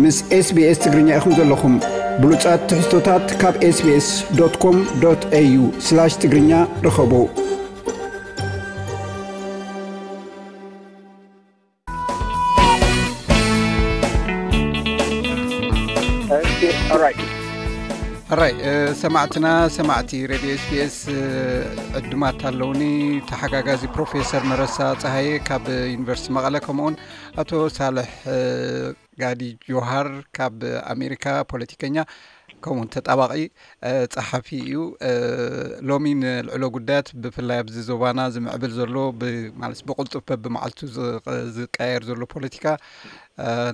ምስ SBS ትግርኛ ኢኹም ዘለኹም። ብሉጻት ትሕዝቶታት ካብ SBS.com.au/ትግርኛ ርኸቡ። ሕራይ ሰማዕትና፣ ሰማዕቲ ሬድዮ SBS ዕዱማት ኣለውኒ። ተሓጋጋዚ ፕሮፌሰር መረሳ ፀሃየ ካብ ዩኒቨርሲቲ መቐለ፣ ከምኡውን ኣቶ ሳልሕ ጋዲ ጆሃር ካብ ኣሜሪካ፣ ፖለቲከኛ ከምኡውን ተጣባቂ ፀሓፊ እዩ። ሎሚ ንልዕሎ ጉዳያት፣ ብፍላይ ኣብዚ ዞባና ዝምዕብል ዘሎ ማለት ብቁልጡፍ በብመዓልቱ ዝቀያየር ዘሎ ፖለቲካ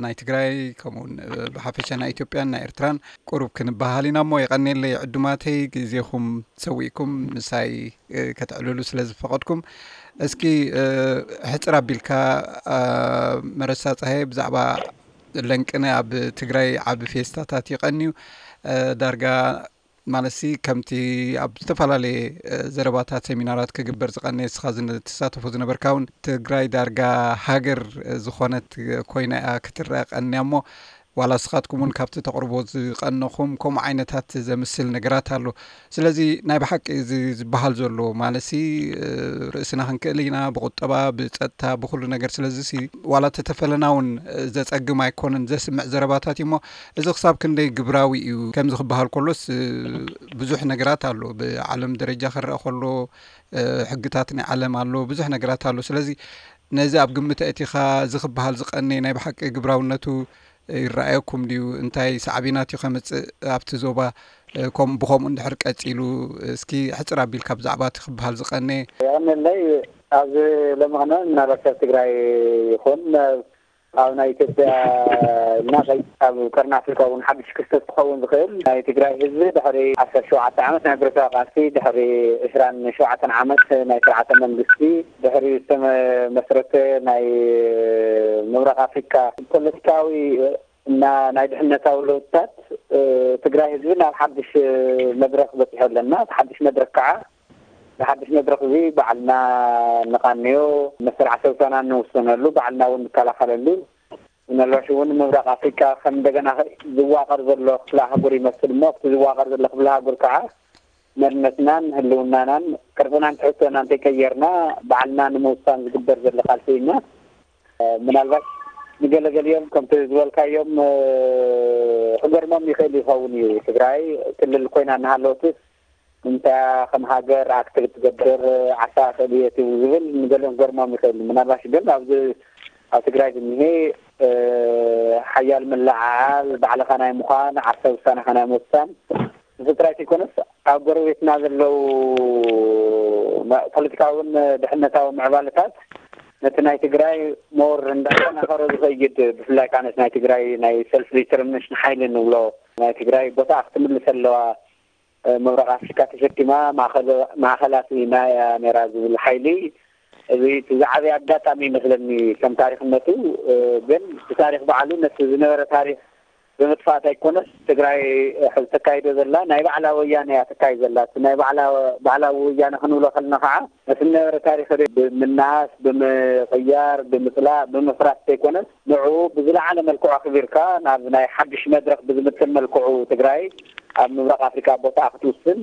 ናይ ትግራይ ከምኡውን ብሓፈሻ ናይ ኢትዮጵያን ናይ ኤርትራን ቁሩብ ክንበሃል ኢና እሞ፣ የቐኔለይ ዕዱማተይ፣ ግዜኹም ሰዊእኩም ምሳይ ከተዕልሉ ስለ ዝፈቐድኩም። እስኪ ሕፅር ኣቢልካ፣ መረሳ ፀሃየ፣ ብዛዕባ ለንቅነ ኣብ ትግራይ ዓቢ ፌስታታት ይቐንዩ። ዳርጋ ማለትሲ ከምቲ ኣብ ዝተፈላለየ ዘረባታት፣ ሴሚናራት ክግበር ዝቐነየ፣ እስኻ ትሳተፎ ዝነበርካ እውን፣ ትግራይ ዳርጋ ሃገር ዝኾነት ኮይና እያ ክትረአ ቀንያ እሞ፣ ዋላ እስኻትኩም እውን ካብቲ ተቕርቦ ዝቐነኹም ከምኡ ዓይነታት ዘምስል ነገራት ኣሎ። ስለዚ ናይ ብሓቂ እዚ ዝበሃል ዘሎ ማለትሲ ርእስና ክንክእል ኢና፣ ብቁጠባ፣ ብፀጥታ፣ ብኩሉ ነገር። ስለዚ ዋላ ተተፈለና እውን ዘፀግም ኣይኮነን ዘስምዕ ዘረባታት እዩ እሞ፣ እዚ ክሳብ ክንደይ ግብራዊ እዩ? ከምዚ ክበሃል ከሎስ ብዙሕ ነገራት ኣሎ። ብዓለም ደረጃ ክረአ ከሎ ሕግታት ናይ ዓለም ኣሎ፣ ብዙሕ ነገራት ኣሎ። ስለዚ ነዚ ኣብ ግምት ኣእቲኻ፣ እዚ ክበሃል ዝቐነየ ናይ ብሓቂ ግብራውነቱ ይረኣየኩም ድዩ? እንታይ ሳዕቤናት እዩ ከምፅእ ኣብቲ ዞባ? ከም ብኸምኡ እንድሕር ቀፂሉ፣ እስኪ ሕፅር ኣቢልካ ብዛዕባ እቲ ክበሃል ዝቐነየ። የቐነለይ። ኣብዚ ሎሚ ኸነ ምናልባት ኣብ ትግራይ ይኹን ኣብ ናይ ኢትዮጵያ እና ኣብ ቀርኒ ኣፍሪካ እውን ሓድሽ ክስተት ክኸውን ዝኽእል፣ ናይ ትግራይ ህዝቢ ድሕሪ ዓሰርተ ሸውዓተ ዓመት ናይ ብረታዊ ቃልሲ፣ ድሕሪ ዕስራን ሸውዓተን ዓመት ናይ ስርዓተ መንግስቲ፣ ድሕሪ ዝተመስረተ ናይ ምብራቕ ኣፍሪካ ፖለቲካዊ እና ናይ ድሕነታዊ ለውጥታት፣ ትግራይ ህዝቢ ናብ ሓድሽ መድረክ በፂሑ ኣለና። እቲ ሓድሽ መድረክ ከዓ፣ እዚ ሓድሽ መድረክ እዚ ባዕልና ንቃንዮ፣ መሰል ዓሰብሳና ንውስነሉ፣ ባዕልና እውን ንከላኸለሉ፣ ምናልባሽ እውን ምብራቕ ኣፍሪካ ከም እንደገና ዝዋቀር ዘሎ ክፍለ ኣህጉር ይመስል እሞ፣ ኣብቲ ዝዋቀር ዘሎ ክፍለ ኣህጉር ከዓ መንነትናን ህልውናናን ቅርፅናን ትሕዝቶና እንተይቀየርና፣ ባዕልና ንምውሳን ዝግበር ዘሎ ቃልሲ ኢና። ምናልባት ንገለገሊኦም ከምቲ ዝበልካዮም ክገርሞም ይኽእል ይኸውን እዩ። ትግራይ ክልል ኮይና እናሃለወትስ እንታይ ከም ሃገር ኣክቲቭ ትገብር፣ ዓሳ ክእል እየ ዝብል ንገሊኦም ክገርሞም ይኽእል። ምናልባሽ ግን ኣብዚ ኣብ ትግራይ ዝኒሄ ሓያል ምልዕዓል፣ ባዕልኻ ናይ ምዃን፣ ዓርሰ ውሳነኻ ናይ ምውሳን፣ እዚ ጥራይ ዘይኮነስ ኣብ ጎረቤትና ዘለዉ ፖለቲካውን ድሕነታዊ ምዕባለታት ነቲ ናይ ትግራይ ሞር እንዳጠናኸሮ ዝኸይድ፣ ብፍላይ ከዓ ነቲ ናይ ትግራይ ናይ ሰልፍ ዲተርሚኔሽን ሓይሊ ንብሎ፣ ናይ ትግራይ ቦታ ክትምልስ ኣለዋ፣ ምብራቕ ኣፍሪካ ተሸኪማ ማእኸል-፣ ማእኸል ኣስኢና እያ ነይራ ዝብል ሓይሊ፣ እዚ እቲ ዝዓበየ ኣጋጣሚ ይመስለኒ ከም ታሪኽነቱ። ግን እቲ ታሪኽ ባዕሉ ነቲ ዝነበረ ታሪኽ ብምጥፋእ ኣይኮነስ፣ ትግራይ ሕዚ ተካይዶ ዘላ ናይ ባዕላ ወያነ እያ ተካይዶ ዘላ። እቲ ናይ ባዕላ፣ ባዕላ ወያነ ክንብሎ ከለና ከዓ ነቲ ዝነበረ ታሪኽ ብምናስ፣ ብምቕያር፣ ብምፅላእ፣ ብምፍራስ ዘይኮነስ፣ ንዕኡ ብዝለዓለ መልክዑ ኣኽቢርካ ናብ ናይ ሓድሽ መድረኽ ብዝምጥን መልክዑ ትግራይ ኣብ ምብራቕ ኣፍሪካ ቦታኣ ክትውስን፣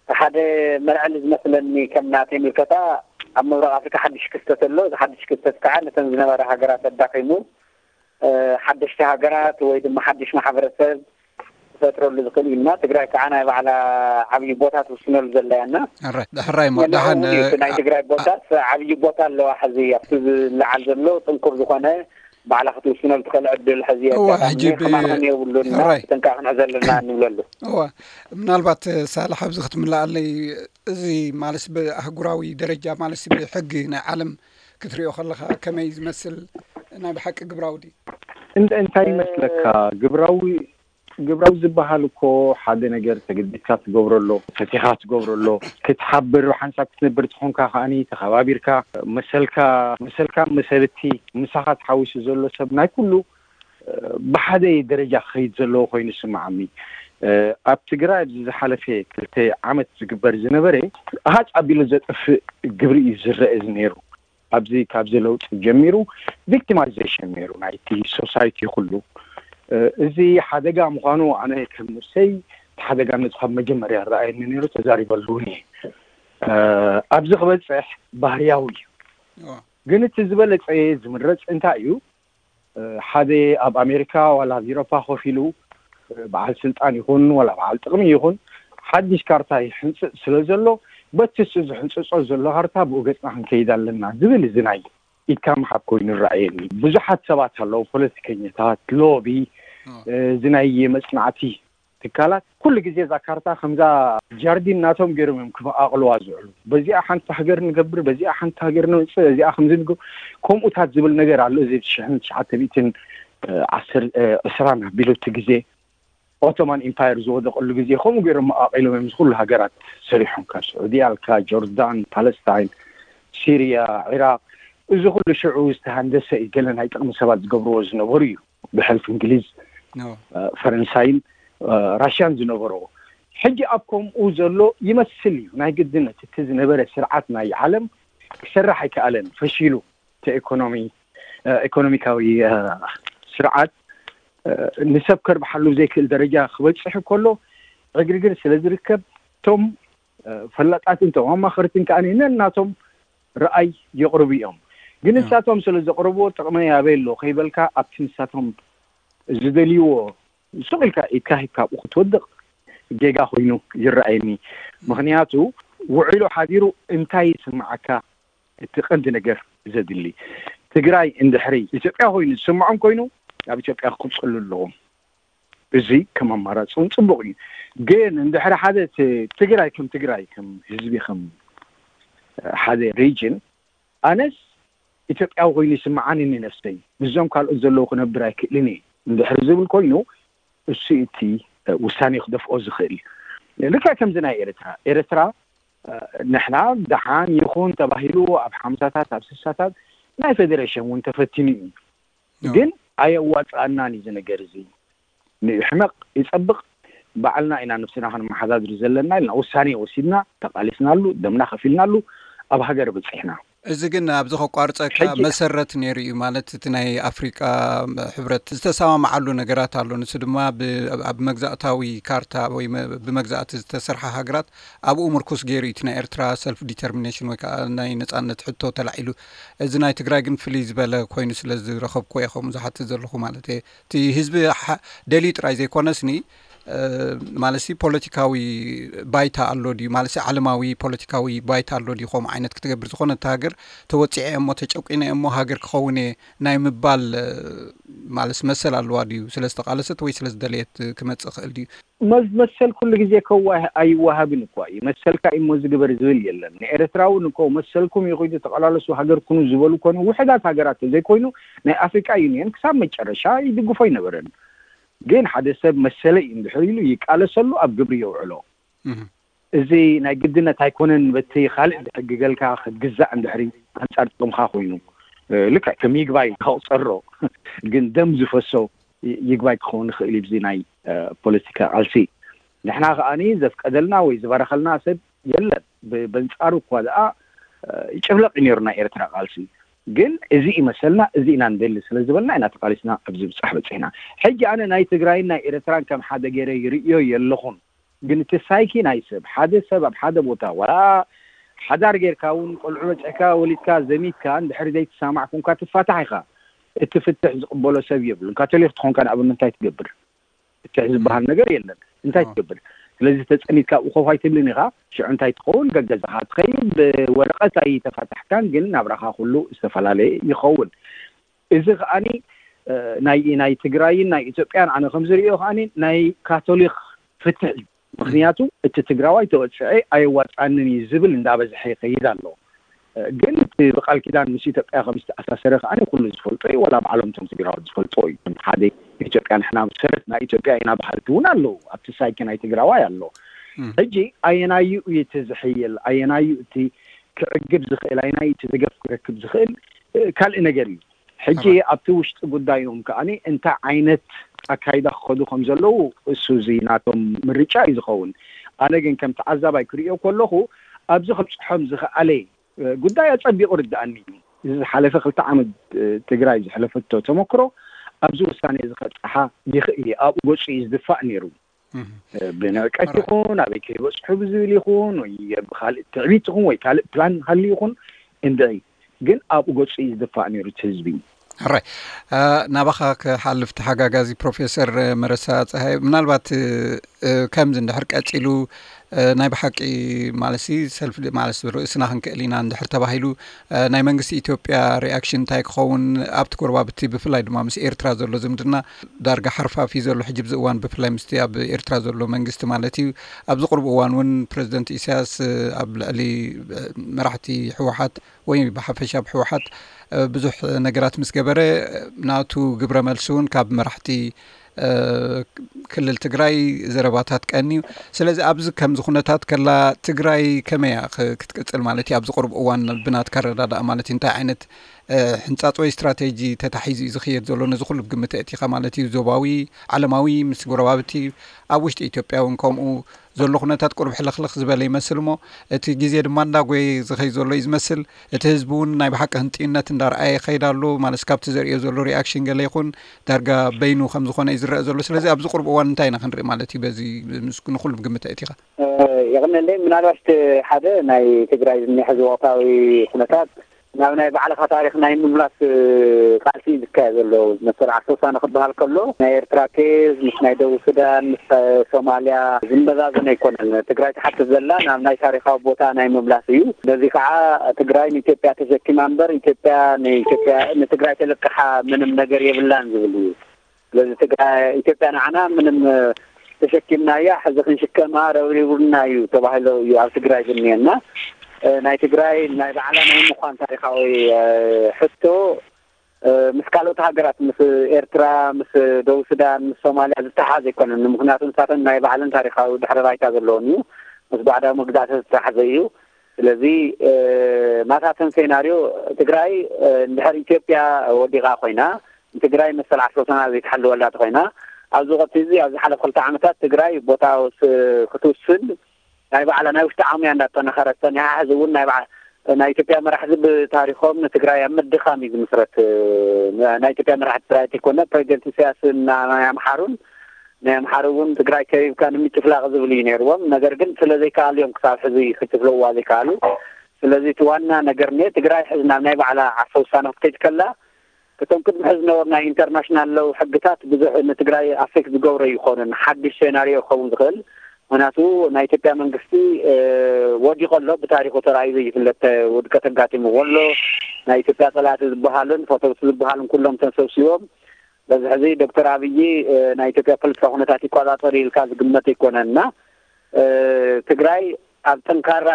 ሓደ መልዕሊ ዝመስለኒ ከም ናተይ ምልከታ፣ ኣብ ምብራቕ ኣፍሪካ ሓድሽ ክስተት ኣሎ። እዚ ሓድሽ ክስተት ከዓ ነተን ዝነበራ ሃገራት ኣዳኺሙ፣ ሓደሽቲ ሃገራት ወይ ድማ ሓድሽ ማሕበረሰብ ክፈጥረሉ ዝኽእል እዩ እና ትግራይ ከዓ ናይ ባዕላ ዓብዪ ቦታ ትውስነሉ ዘላ እያ እና ሕራይ እሞ ደሓን ናይ ትግራይ ቦታስ ዓብዪ ቦታ ኣለዋ። ሕዚ ኣብቲ ዝለዓል ዘሎ ጥንኩር ዝኾነ ባዕላ ክትውስነሉ ትኽእል ዕድል ሕዚ የጋጣሚ ሕጂ ብ-፣ ክማኸን የብሉና ሕራይ። ጥንቃ ክንሕዘ ኣለና ንብለሉ። እዋ፣ ምናልባት ሳልሕ ኣብዚ ክትምልኣለይ፣ እዚ ማለት ብኣህጉራዊ ደረጃ ማለት ብሕጊ ናይ ዓለም ክትሪኦ ከለኻ ከመይ ዝመስል ናይ ብሓቂ ግብራዊ ድዩ? እንተ-፣ እንታይ ይመስለካ? ግብራዊ፣ ግብራዊ ዝበሃል እኮ ሓደ ነገር ተገዲድካ ትገብሮ ኣሎ፣ ፈቲኻ ትገብሮ ኣሎ፣ ክትሓብር ብሓንሳብ ክትነብር ትኾንካ ከኣኒ ተኸባቢርካ መሰልካ፣ መሰልካ መሰልቲ ምሳኻ ተሓዊሱ ዘሎ ሰብ ናይ ኩሉ ብሓደ ደረጃ ክኸይድ ዘለዎ ኮይኑ ይስምዓኒ። ኣብ ትግራይ ኣብዚ ዝሓለፈ ክልተ ዓመት ዝግበር ዝነበረ ሃፅ ኣቢሉ ዘጥፍእ ግብሪ እዩ ዝረአ ነይሩ። ኣብዚ ካብዚ ለውጢ ጀሚሩ ቪክቲማይዜሽን ነይሩ ናይቲ ሶሳይቲ ኩሉ። እዚ ሓደጋ ምዃኑ ኣነ ከም ንብሰይ እቲ ሓደጋ ነቲ ካብ መጀመርያ ረኣየኒ ነይሩ፣ ተዛሪበሉ እውን እየ። ኣብዚ ክበፅሕ ባህርያዊ እዩ። ግን እቲ ዝበለፀ ዝምረፅ እንታይ እዩ? ሓደ ኣብ ኣሜሪካ ዋላ ኣብ ኢሮፓ ኮፍ ኢሉ በዓል ስልጣን ይኹን ዋላ በዓል ጥቕሚ ይኹን ሓድሽ ካርታ ይሕንፅፅ ስለ ዘሎ፣ በቲ እሱ ዝሕንፅፆ ዘሎ ካርታ ብኡ ገፅና ክንከይድ ኣለና ዝብል እዚ ናይ ኢድካ ምሓብ ኮይኑ ይረኣየኒ። ብዙሓት ሰባት ኣለዉ፣ ፖለቲከኛታት፣ ሎቢ፣ እዚ ናይ መፅናዕቲ ትካላት ኩሉ ግዜ እዛ ካርታ ከምዛ ጃርዲን ናቶም ገይሮም እዮም ክመቓቕልዋ ዝውዕሉ። በዚኣ ሓንቲ ሃገር ንገብር፣ በዚኣ ሓንቲ ሃገር ነውፅእ፣ እዚኣ ከምዚ ንገብር፣ ከምኡታት ዝብል ነገር ኣሎ። እዚ ሽሕን ትሽዓተ ሚእትን ዕስራን ኣቢሉ እቲ ግዜ ኦቶማን ኢምፓየር ዝወደቐሉ ግዜ ከምኡ ገይሮም መቓቒሎም እዮም ዝኩሉ ሃገራት ሰሪሖም፣ ካብ ስዑድያ ኣልካ፣ ጆርዳን፣ ፓለስታይን፣ ሲርያ፣ ዒራቕ። እዚ ኩሉ ሽዑ ዝተሃንደሰ እዩ፣ ገለ ናይ ጥቕሚ ሰባት ዝገብርዎ ዝነበሩ እዩ። ብሕልፊ እንግሊዝ፣ ፈረንሳይን ራሽያን ዝነበሮ። ሕጂ ኣብ ከምኡ ዘሎ ይመስል እዩ። ናይ ግድነት እቲ ዝነበረ ስርዓት ናይ ዓለም ክሰርሕ ኣይከኣለን፣ ፈሺሉ። እቲ ኢኮኖሚ ኢኮኖሚካዊ ስርዓት ንሰብ ከርብሓሉ ዘይክእል ደረጃ ክበፅሕ ከሎ ዕግርግር ስለ ዝርከብ፣ እቶም ፈላጣትን እቶም ኣማኸርትን ከዓ ነናቶም ረኣይ የቕርቡ እዮም። ግን ንሳቶም ስለ ዘቕርብዎ ጥቕሚ ኣበይ ኣሎ ከይበልካ ኣብቲ ንሳቶም ዝደልይዎ ሱቕ ኢልካ ኢድካ ሂብካ ኣብኡ ክትወድቕ ጌጋ ኮይኑ ይረኣየኒ። ምኽንያቱ ውዒሉ ሓዲሩ እንታይ ይስምዓካ? እቲ ቀንዲ ነገር ዘድሊ ትግራይ እንድሕሪ ኢትዮጵያ ኮይኑ ዝስምዖም ኮይኑ ኣብ ኢትዮጵያ ክቕፅሉ ኣለዎም። እዚ ከም ኣማራፂ እውን ፅቡቕ እዩ። ግን እንድሕሪ ሓደ እቲ ትግራይ ከም ትግራይ ከም ህዝቢ ከም ሓደ ሪጅን ኣነስ ኢትዮጵያዊ ኮይኑ ይስምዓኒ ንነፍሰይ ምስዞም ካልኦት ዘለዉ ክነብር ኣይክእልን እየ እንድሕሪ ዝብል ኮይኑ እሱ እቲ ውሳኔ ክደፍኦ ዝኽእል። ልክዕ ከምዚ ናይ ኤርትራ ኤርትራ ንሕና ደሓን ይኹን ተባሂሉ ኣብ ሓምሳታት ኣብ ስሳታት ናይ ፌዴሬሽን እውን ተፈቲኑ እዩ። ግን ኣየዋፅኣናን እዩ እዚ ነገር እዚ። ንሕመቕ ይፀብቕ ባዕልና ኢና ነብስና ክንመሓዳድር ዘለና ኢልና ውሳኔ ወሲድና ተቃሊስናሉ ደምና ከፊልናሉ ኣብ ሃገር በፂሕና። እዚ ግን ኣብዚ ከቋርፀካ መሰረት ነይሩ እዩ ማለት እቲ ናይ ኣፍሪቃ ሕብረት ዝተሰማማዓሉ ነገራት ኣሎ። ንሱ ድማ ኣብ መግዛእታዊ ካርታ ወይ ብመግዛእቲ ዝተሰርሓ ሃገራት ኣብኡ ምርኩስ ገይሩ እዩ እቲ ናይ ኤርትራ ሰልፍ ዲተርሚኔሽን ወይ ከዓ ናይ ነፃነት ሕቶ ተላዒሉ። እዚ ናይ ትግራይ ግን ፍልይ ዝበለ ኮይኑ ስለ ዝረኸብኩ እየ ከምኡ ዝሓትት ዘለኹ ማለት እየ። እቲ ህዝቢ ደልዩ ጥራይ ዘይኮነስኒ ማለት ፖለቲካዊ ባይታ ኣሎ ድዩ ማለት ዓለማዊ ፖለቲካዊ ባይታ ኣሎ ድዩ ከምኡ ዓይነት ክትገብር ዝኾነ እቲ ሃገር ተወፂዐ እሞ ተጨቂነ እሞ ሃገር ክኸውን እየ ናይ ምባል ማለት መሰል ኣለዋ ድዩ ስለ ዝተቃለሰት ወይ ስለ ዝደለየት ክመፅእ ክእል ድዩ? መሰል ኩሉ ግዜ ከዋ ኣይወሃብን እኳ እዩ። መሰልካ እሞ ዝግበር ዝብል የለን። ንኤርትራውን እኮ መሰልኩም ይኹይዱ ተቃላለሱ ሃገር ኩኑ ዝበሉ ኮነ ውሕዳት ሃገራት ዘይኮይኑ ናይ ኣፍሪቃ ዩኒየን ክሳብ መጨረሻ ይድግፎ ኣይነበረን። ግን ሓደ ሰብ መሰለይ እንድሕር ኢሉ ይቃለሰሉ ኣብ ግብሪ የውዕሎ። እዚ ናይ ግድነት ኣይኮነን። በቲ ካልእ ዝሕግገልካ ክትግዛእ እንድሕሪ ኣንጻር ጥቕምካ ኮይኑ ልክዕ ከም ይግባይ ከቕጸሮ ግን ደም ዝፈሶ ይግባይ ክኸውን ይኽእል እዩ። ናይ ፖለቲካ ቃልሲ ንሕና ከኣ ዘፍቀደልና ወይ ዝበረኸልና ሰብ የለን። በንጻሩ እኳ ደኣ ይጭፍለቕ እዩ ነይሩ ናይ ኤርትራ ቃልሲ። ግን እዚ ይመሰልና እዚ ኢና ንደሊ ስለ ዝበልና ኢና ተቃሊስና ኣብዚ ብጻሕ በጺሕና። ሕጂ ኣነ ናይ ትግራይን ናይ ኤርትራን ከም ሓደ ገይረ ይርእዮ የለኹን። ግን እቲ ሳይኪ ናይ ሰብ ሓደ ሰብ ኣብ ሓደ ቦታ ወላ ሓዳር ጌርካ እውን ቆልዑ በጺሕካ ወሊድካ ዘሚትካ እንድሕሪ ዘይትሳማዕ ኮንካ ትፋታሕ ኢኻ። እቲ ፍትሕ ዝቕበሎ ሰብ የብሉን። ካቶሊክ ትኾንካ ንኣብነት እንታይ ትገብር? ፍትሕ ዝበሃል ነገር የለን። እንታይ ትገብር? ስለዚ ተጸሚድካ ኣብኡ ኮፍ ኣይትብልን ኢኻ። ሽዑ እንታይ ትኸውን? ገገዛኻ ትኸይድ። ብወረቐት ኣይተፋታሕካን ግን ናብራኻ ኩሉ ዝተፈላለየ ይኸውን። እዚ ከኣኒ ናይ ናይ ትግራይን ናይ ኢትዮጵያን ኣነ ከም ዝርእዮ ከኣኒ ናይ ካቶሊክ ፍትሕ እዩ። ምክንያቱ እቲ ትግራዋይ ተወፅዐ ኣየዋፅኣንን እዩ ዝብል እንዳበዝሐ ይኸይድ ኣሎ። ግን እቲ ብቃል ኪዳን ምስ ኢትዮጵያ ከም ዝተኣሳሰረ ከኣ ኩሉ ዝፈልጦ እዩ። ዋላ ባዕሎም እቶም ትግራዎት ዝፈልጦ እዩ። ከም ሓደ ኢትዮጵያ ንሕና ሰረት ናይ ኢትዮጵያ ኢና በሃልቲ እውን ኣለዉ። ኣብቲ ሳይኪ ናይ ትግራዋይ ኣሎ። ሕጂ ኣየናዩ እዩ እቲ ዝሕይል? ኣየናዩ እቲ ክዕግብ ዝኽእል? ኣየናዩ እቲ ደገፍ ክረክብ ዝኽእል ካልእ ነገር እዩ። ሕጂ ኣብቲ ውሽጢ ጉዳዮም ከኣ እንታይ ዓይነት ኣካይዳ ክኸዱ ከም ዘለዉ እሱ እዚ ናቶም ምርጫ እዩ ዝኸውን። ኣነ ግን ከም ተዓዛባይ ክርእዮ ከለኹ ኣብዚ ከብፅሖም ዝኸኣለ ጉዳይ ኣጸቢቑ ርድኣኒ እዩ። እዚ ዝሓለፈ ክልተ ዓመት ትግራይ ዝሕለፈቶ ተመክሮ ኣብዚ ውሳነ እዚ ከብፅሓ ይኽእል እዩ። ኣብኡ ገፁ እዩ ዝድፋእ ነይሩ። ብንዕቀት ይኹን ኣበይ ከይበፅሑ ብዝብል ይኹን ወይ ብካልእ ትዕቢት ይኹን ወይ ካልእ ፕላን ሃልዩ ይኹን እንድዒ ግን ኣብኡ ገፁ እዩ ዝድፋእ ነይሩ እቲ ህዝቢ። ሕራይ ናባኻ ክሓልፍ ተሓጋጋዚ ፕሮፌሰር መረሳ ፀሃይ፣ ምናልባት ከምዚ እንድሕር ቀፂሉ ናይ ብሓቂ ማለት ሰልፍ ማለት ርእስና ክንክእል ኢና እንድሕር ተባሂሉ ናይ መንግስቲ ኢትዮጵያ ሪኣክሽን እንታይ ክኸውን ኣብቲ ጎረባብቲ ብፍላይ ድማ ምስ ኤርትራ ዘሎ ዝምድና ዳርጋ ሓርፋፊ ዘሎ ሕጂ ብዚ እዋን ብፍላይ ምስቲ ኣብ ኤርትራ ዘሎ መንግስቲ ማለት እዩ። ኣብዚ ቅርብ እዋን እውን ፕረዚደንት ኢሳያስ ኣብ ልዕሊ መራሕቲ ህወሓት ወይ ብሓፈሻ ኣብ ህወሓት ብዙሕ ነገራት ምስ ገበረ ናቱ ግብረ መልሲ እውን ካብ መራሕቲ ክልል ትግራይ ዘረባታት ቀንዩ። ስለዚ ኣብዚ ከምዚ ኩነታት ከላ ትግራይ ከመይ ክትቅፅል ማለት እዩ? ኣብዚ ቅርብ እዋን ብናትካ ኣረዳድኣ ማለት እዩ እንታይ ዓይነት ሕንፃፅ ወይ ስትራቴጂ ተታሒዙ እዩ ዝኽየድ ዘሎ? ነዚ ኩሉ ብግምት ኣእቲኻ ማለት እዩ። ዞባዊ፣ ዓለማዊ፣ ምስ ጎረባብቲ፣ ኣብ ውሽጢ ኢትዮጵያ እውን ከምኡ ዘሎ ኩነታት ቁሩብ ሕልኽልኽ ዝበለ ይመስል እሞ እቲ ግዜ ድማ እንዳጎየ ዝኸይ ዘሎ እዩ ዝመስል። እቲ ህዝቢ እውን ናይ ብሓቂ ህንጥዩነት እንዳርኣየ ይኸይድ ኣሎ ማለት ካብቲ ዘርእዮ ዘሎ ሪኣክሽን ገለ ይኹን ዳርጋ በይኑ ከም ዝኾነ እዩ ዝረአ ዘሎ። ስለዚ ኣብዚ ቁሩብ እዋን እንታይ ኢና ክንርኢ ማለት እዩ? በዚ ንኹሉ ብግምት ኣእቲኻ የቕነለይ። ምናልባት ሓደ ናይ ትግራይ ዝኒሐ ሕዚ ወቕታዊ ኩነታት ናብ ናይ ባዕልኻ ታሪኽ ናይ ምምላስ ቃልሲ እዩ ዝካየድ ዘሎ። መሰል ዓርሰ ውሳነ ክበሃል ከሎ ናይ ኤርትራ ኬዝ ምስ ናይ ደቡብ ሱዳን ምስ ሶማልያ ዝመዛዘን ኣይኮነን። ትግራይ ትሓትት ዘላ ናብ ናይ ታሪኻዊ ቦታ ናይ ምምላስ እዩ። ስለዚ ከዓ ትግራይ ንኢትዮጵያ ተሸኪማ እምበር ኢትዮጵያ ንኢትዮጵያ ንትግራይ ተለቅሓ ምንም ነገር የብላን ዝብል እዩ። ስለዚ ትግራይ ኢትዮጵያ ንዓና ምንም ተሸኪምናያ ሕዚ ክንሽከማ ረብሪቡና እዩ ተባሂሎ እዩ ኣብ ትግራይ ዝኒሀና። ናይ ትግራይ ናይ ባዕላ ናይ ምኳን ታሪካዊ ሕቶ ምስ ካልኦት ሃገራት ምስ ኤርትራ ምስ ደቡብ ሱዳን ምስ ሶማልያ ዝተሓዘ ኣይኮነን። ምክንያቱ ንሳተን ናይ ባዕለን ታሪካዊ ድሕረ ባይታ ዘለዎን እዩ። ምስ ባዕዳዊ መግዛእቲ ዝተሓዘ እዩ። ስለዚ ናታተን ሴናርዮ ትግራይ እንድሕር ኢትዮጵያ ወዲቓ ኮይና ንትግራይ መሰል ዓርሰ ውሳና ዘይትሓልወላ ተኮይና ኣብዚ ወቅቲ እዚ ኣብ ዝሓለፈ ክልተ ዓመታት ትግራይ ቦታ ክትውስን ናይ ባዕላ ናይ ውሽጢ ዓቅሚያ እንዳጠናኸረት ፀኒሓ። ሕዚ እውን ናይ ባዕ ናይ ኢትዮጵያ መራሕቲ ብታሪኮም ንትግራይ ኣብ ምድኻም እዩ ዝምስረት። ናይ ኢትዮጵያ መራሕቲ ትግራይ ዘይኮነ ፕሬዚደንት ኢሳያስን ናይ ኣምሓሩን ናይ ኣምሓሩ እውን ትግራይ ከቢብካ ንምጭፍላቅ ዝብል እዩ ነይርዎም። ነገር ግን ስለዘይከኣሉ እዮም ክሳብ ሕዚ ክጭፍልቅዋ ዘይከኣሉ። ስለዚ እቲ ዋና ነገር ነ ትግራይ ሕዚ ናብ ናይ ባዕላ ዓርሰ ውሳነ ክትከይድ ከላ እቶም ቅድሚ ሕዚ ዝነበሩ ናይ ኢንተርናሽናል ለው ሕግታት ብዙሕ ንትግራይ ኣፌክት ዝገብሮ ይኮኑን ሓድሽ ሴናሪዮ ክኸውን ዝኽእል። ምክንያቱ ናይ ኢትዮጵያ መንግስቲ ወዲቆ ኣሎ። ብታሪኩ ተራእዩ ዘይፍለጥ ውድቀት ኣጋጢምዎ ኣሎ። ናይ ኢትዮጵያ ፀላእቲ ዝበሃሉን ፈተውቲ ዝበሃሉን ኩሎም ተሰብሲቦም በዚ ሕዚ ዶክተር ኣብይ ናይ ኢትዮጵያ ፖለቲካ ኩነታት ይቆፃፀር ኢልካ ዝግመት ኣይኮነን እና ትግራይ ኣብ ጠንካራ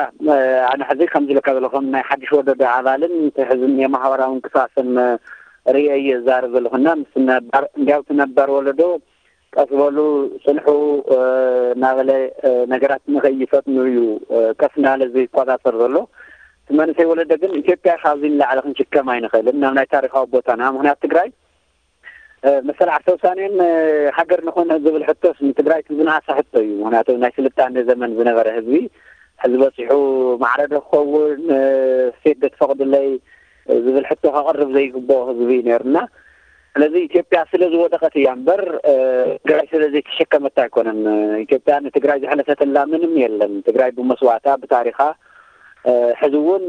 ኣነ ሕዚ ከም ዝለካ ዘለኹም ናይ ሓድሽ ወለዶ ኣባልን ሕዝን የማሕበራዊ እንቅስቃሰን ርእየ እየ ዛረብ ዘለኹና ምስ ነባር እንዲያው እቲ ነባር ወለዶ ቀስ በሉ ፅንሑ እናበለ ነገራት ንኸይፈጥኑ እዩ ቀስ እናበለ ዝቆፃፀር ዘሎ። እቲ መንእሰይ ወለደ ግን ኢትዮጵያ ካብዚ ንላዕሊ ክንሽከም ኣይንኽእልን ናብ ናይ ታሪካዊ ቦታና ምክንያት ትግራይ መሰል ዓርሰ ውሳኔን ሃገር ንኾነ ዝብል ሕቶስ ንትግራይ ዝነኣሰ ሕቶ እዩ። ምክንያቱ ናይ ስልጣኔ ዘመን ዝነበረ ህዝቢ ሕዚ በፂሑ ማዕረ ዶ ክኸውን ስቴት ዶ ትፈቕድለይ ዝብል ሕቶ ከቕርብ ዘይግብኦ ህዝቢ እዩ ነይሩና። ስለዚ ኢትዮጵያ ስለ ዝወደቐት እያ እምበር ትግራይ ስለ ዘይተሸከመት ኣይኮነን። ኢትዮጵያ ንትግራይ ዘሕለፈትላ ምንም የለን። ትግራይ ብመስዋእታ ብታሪኻ ሕዚ እውን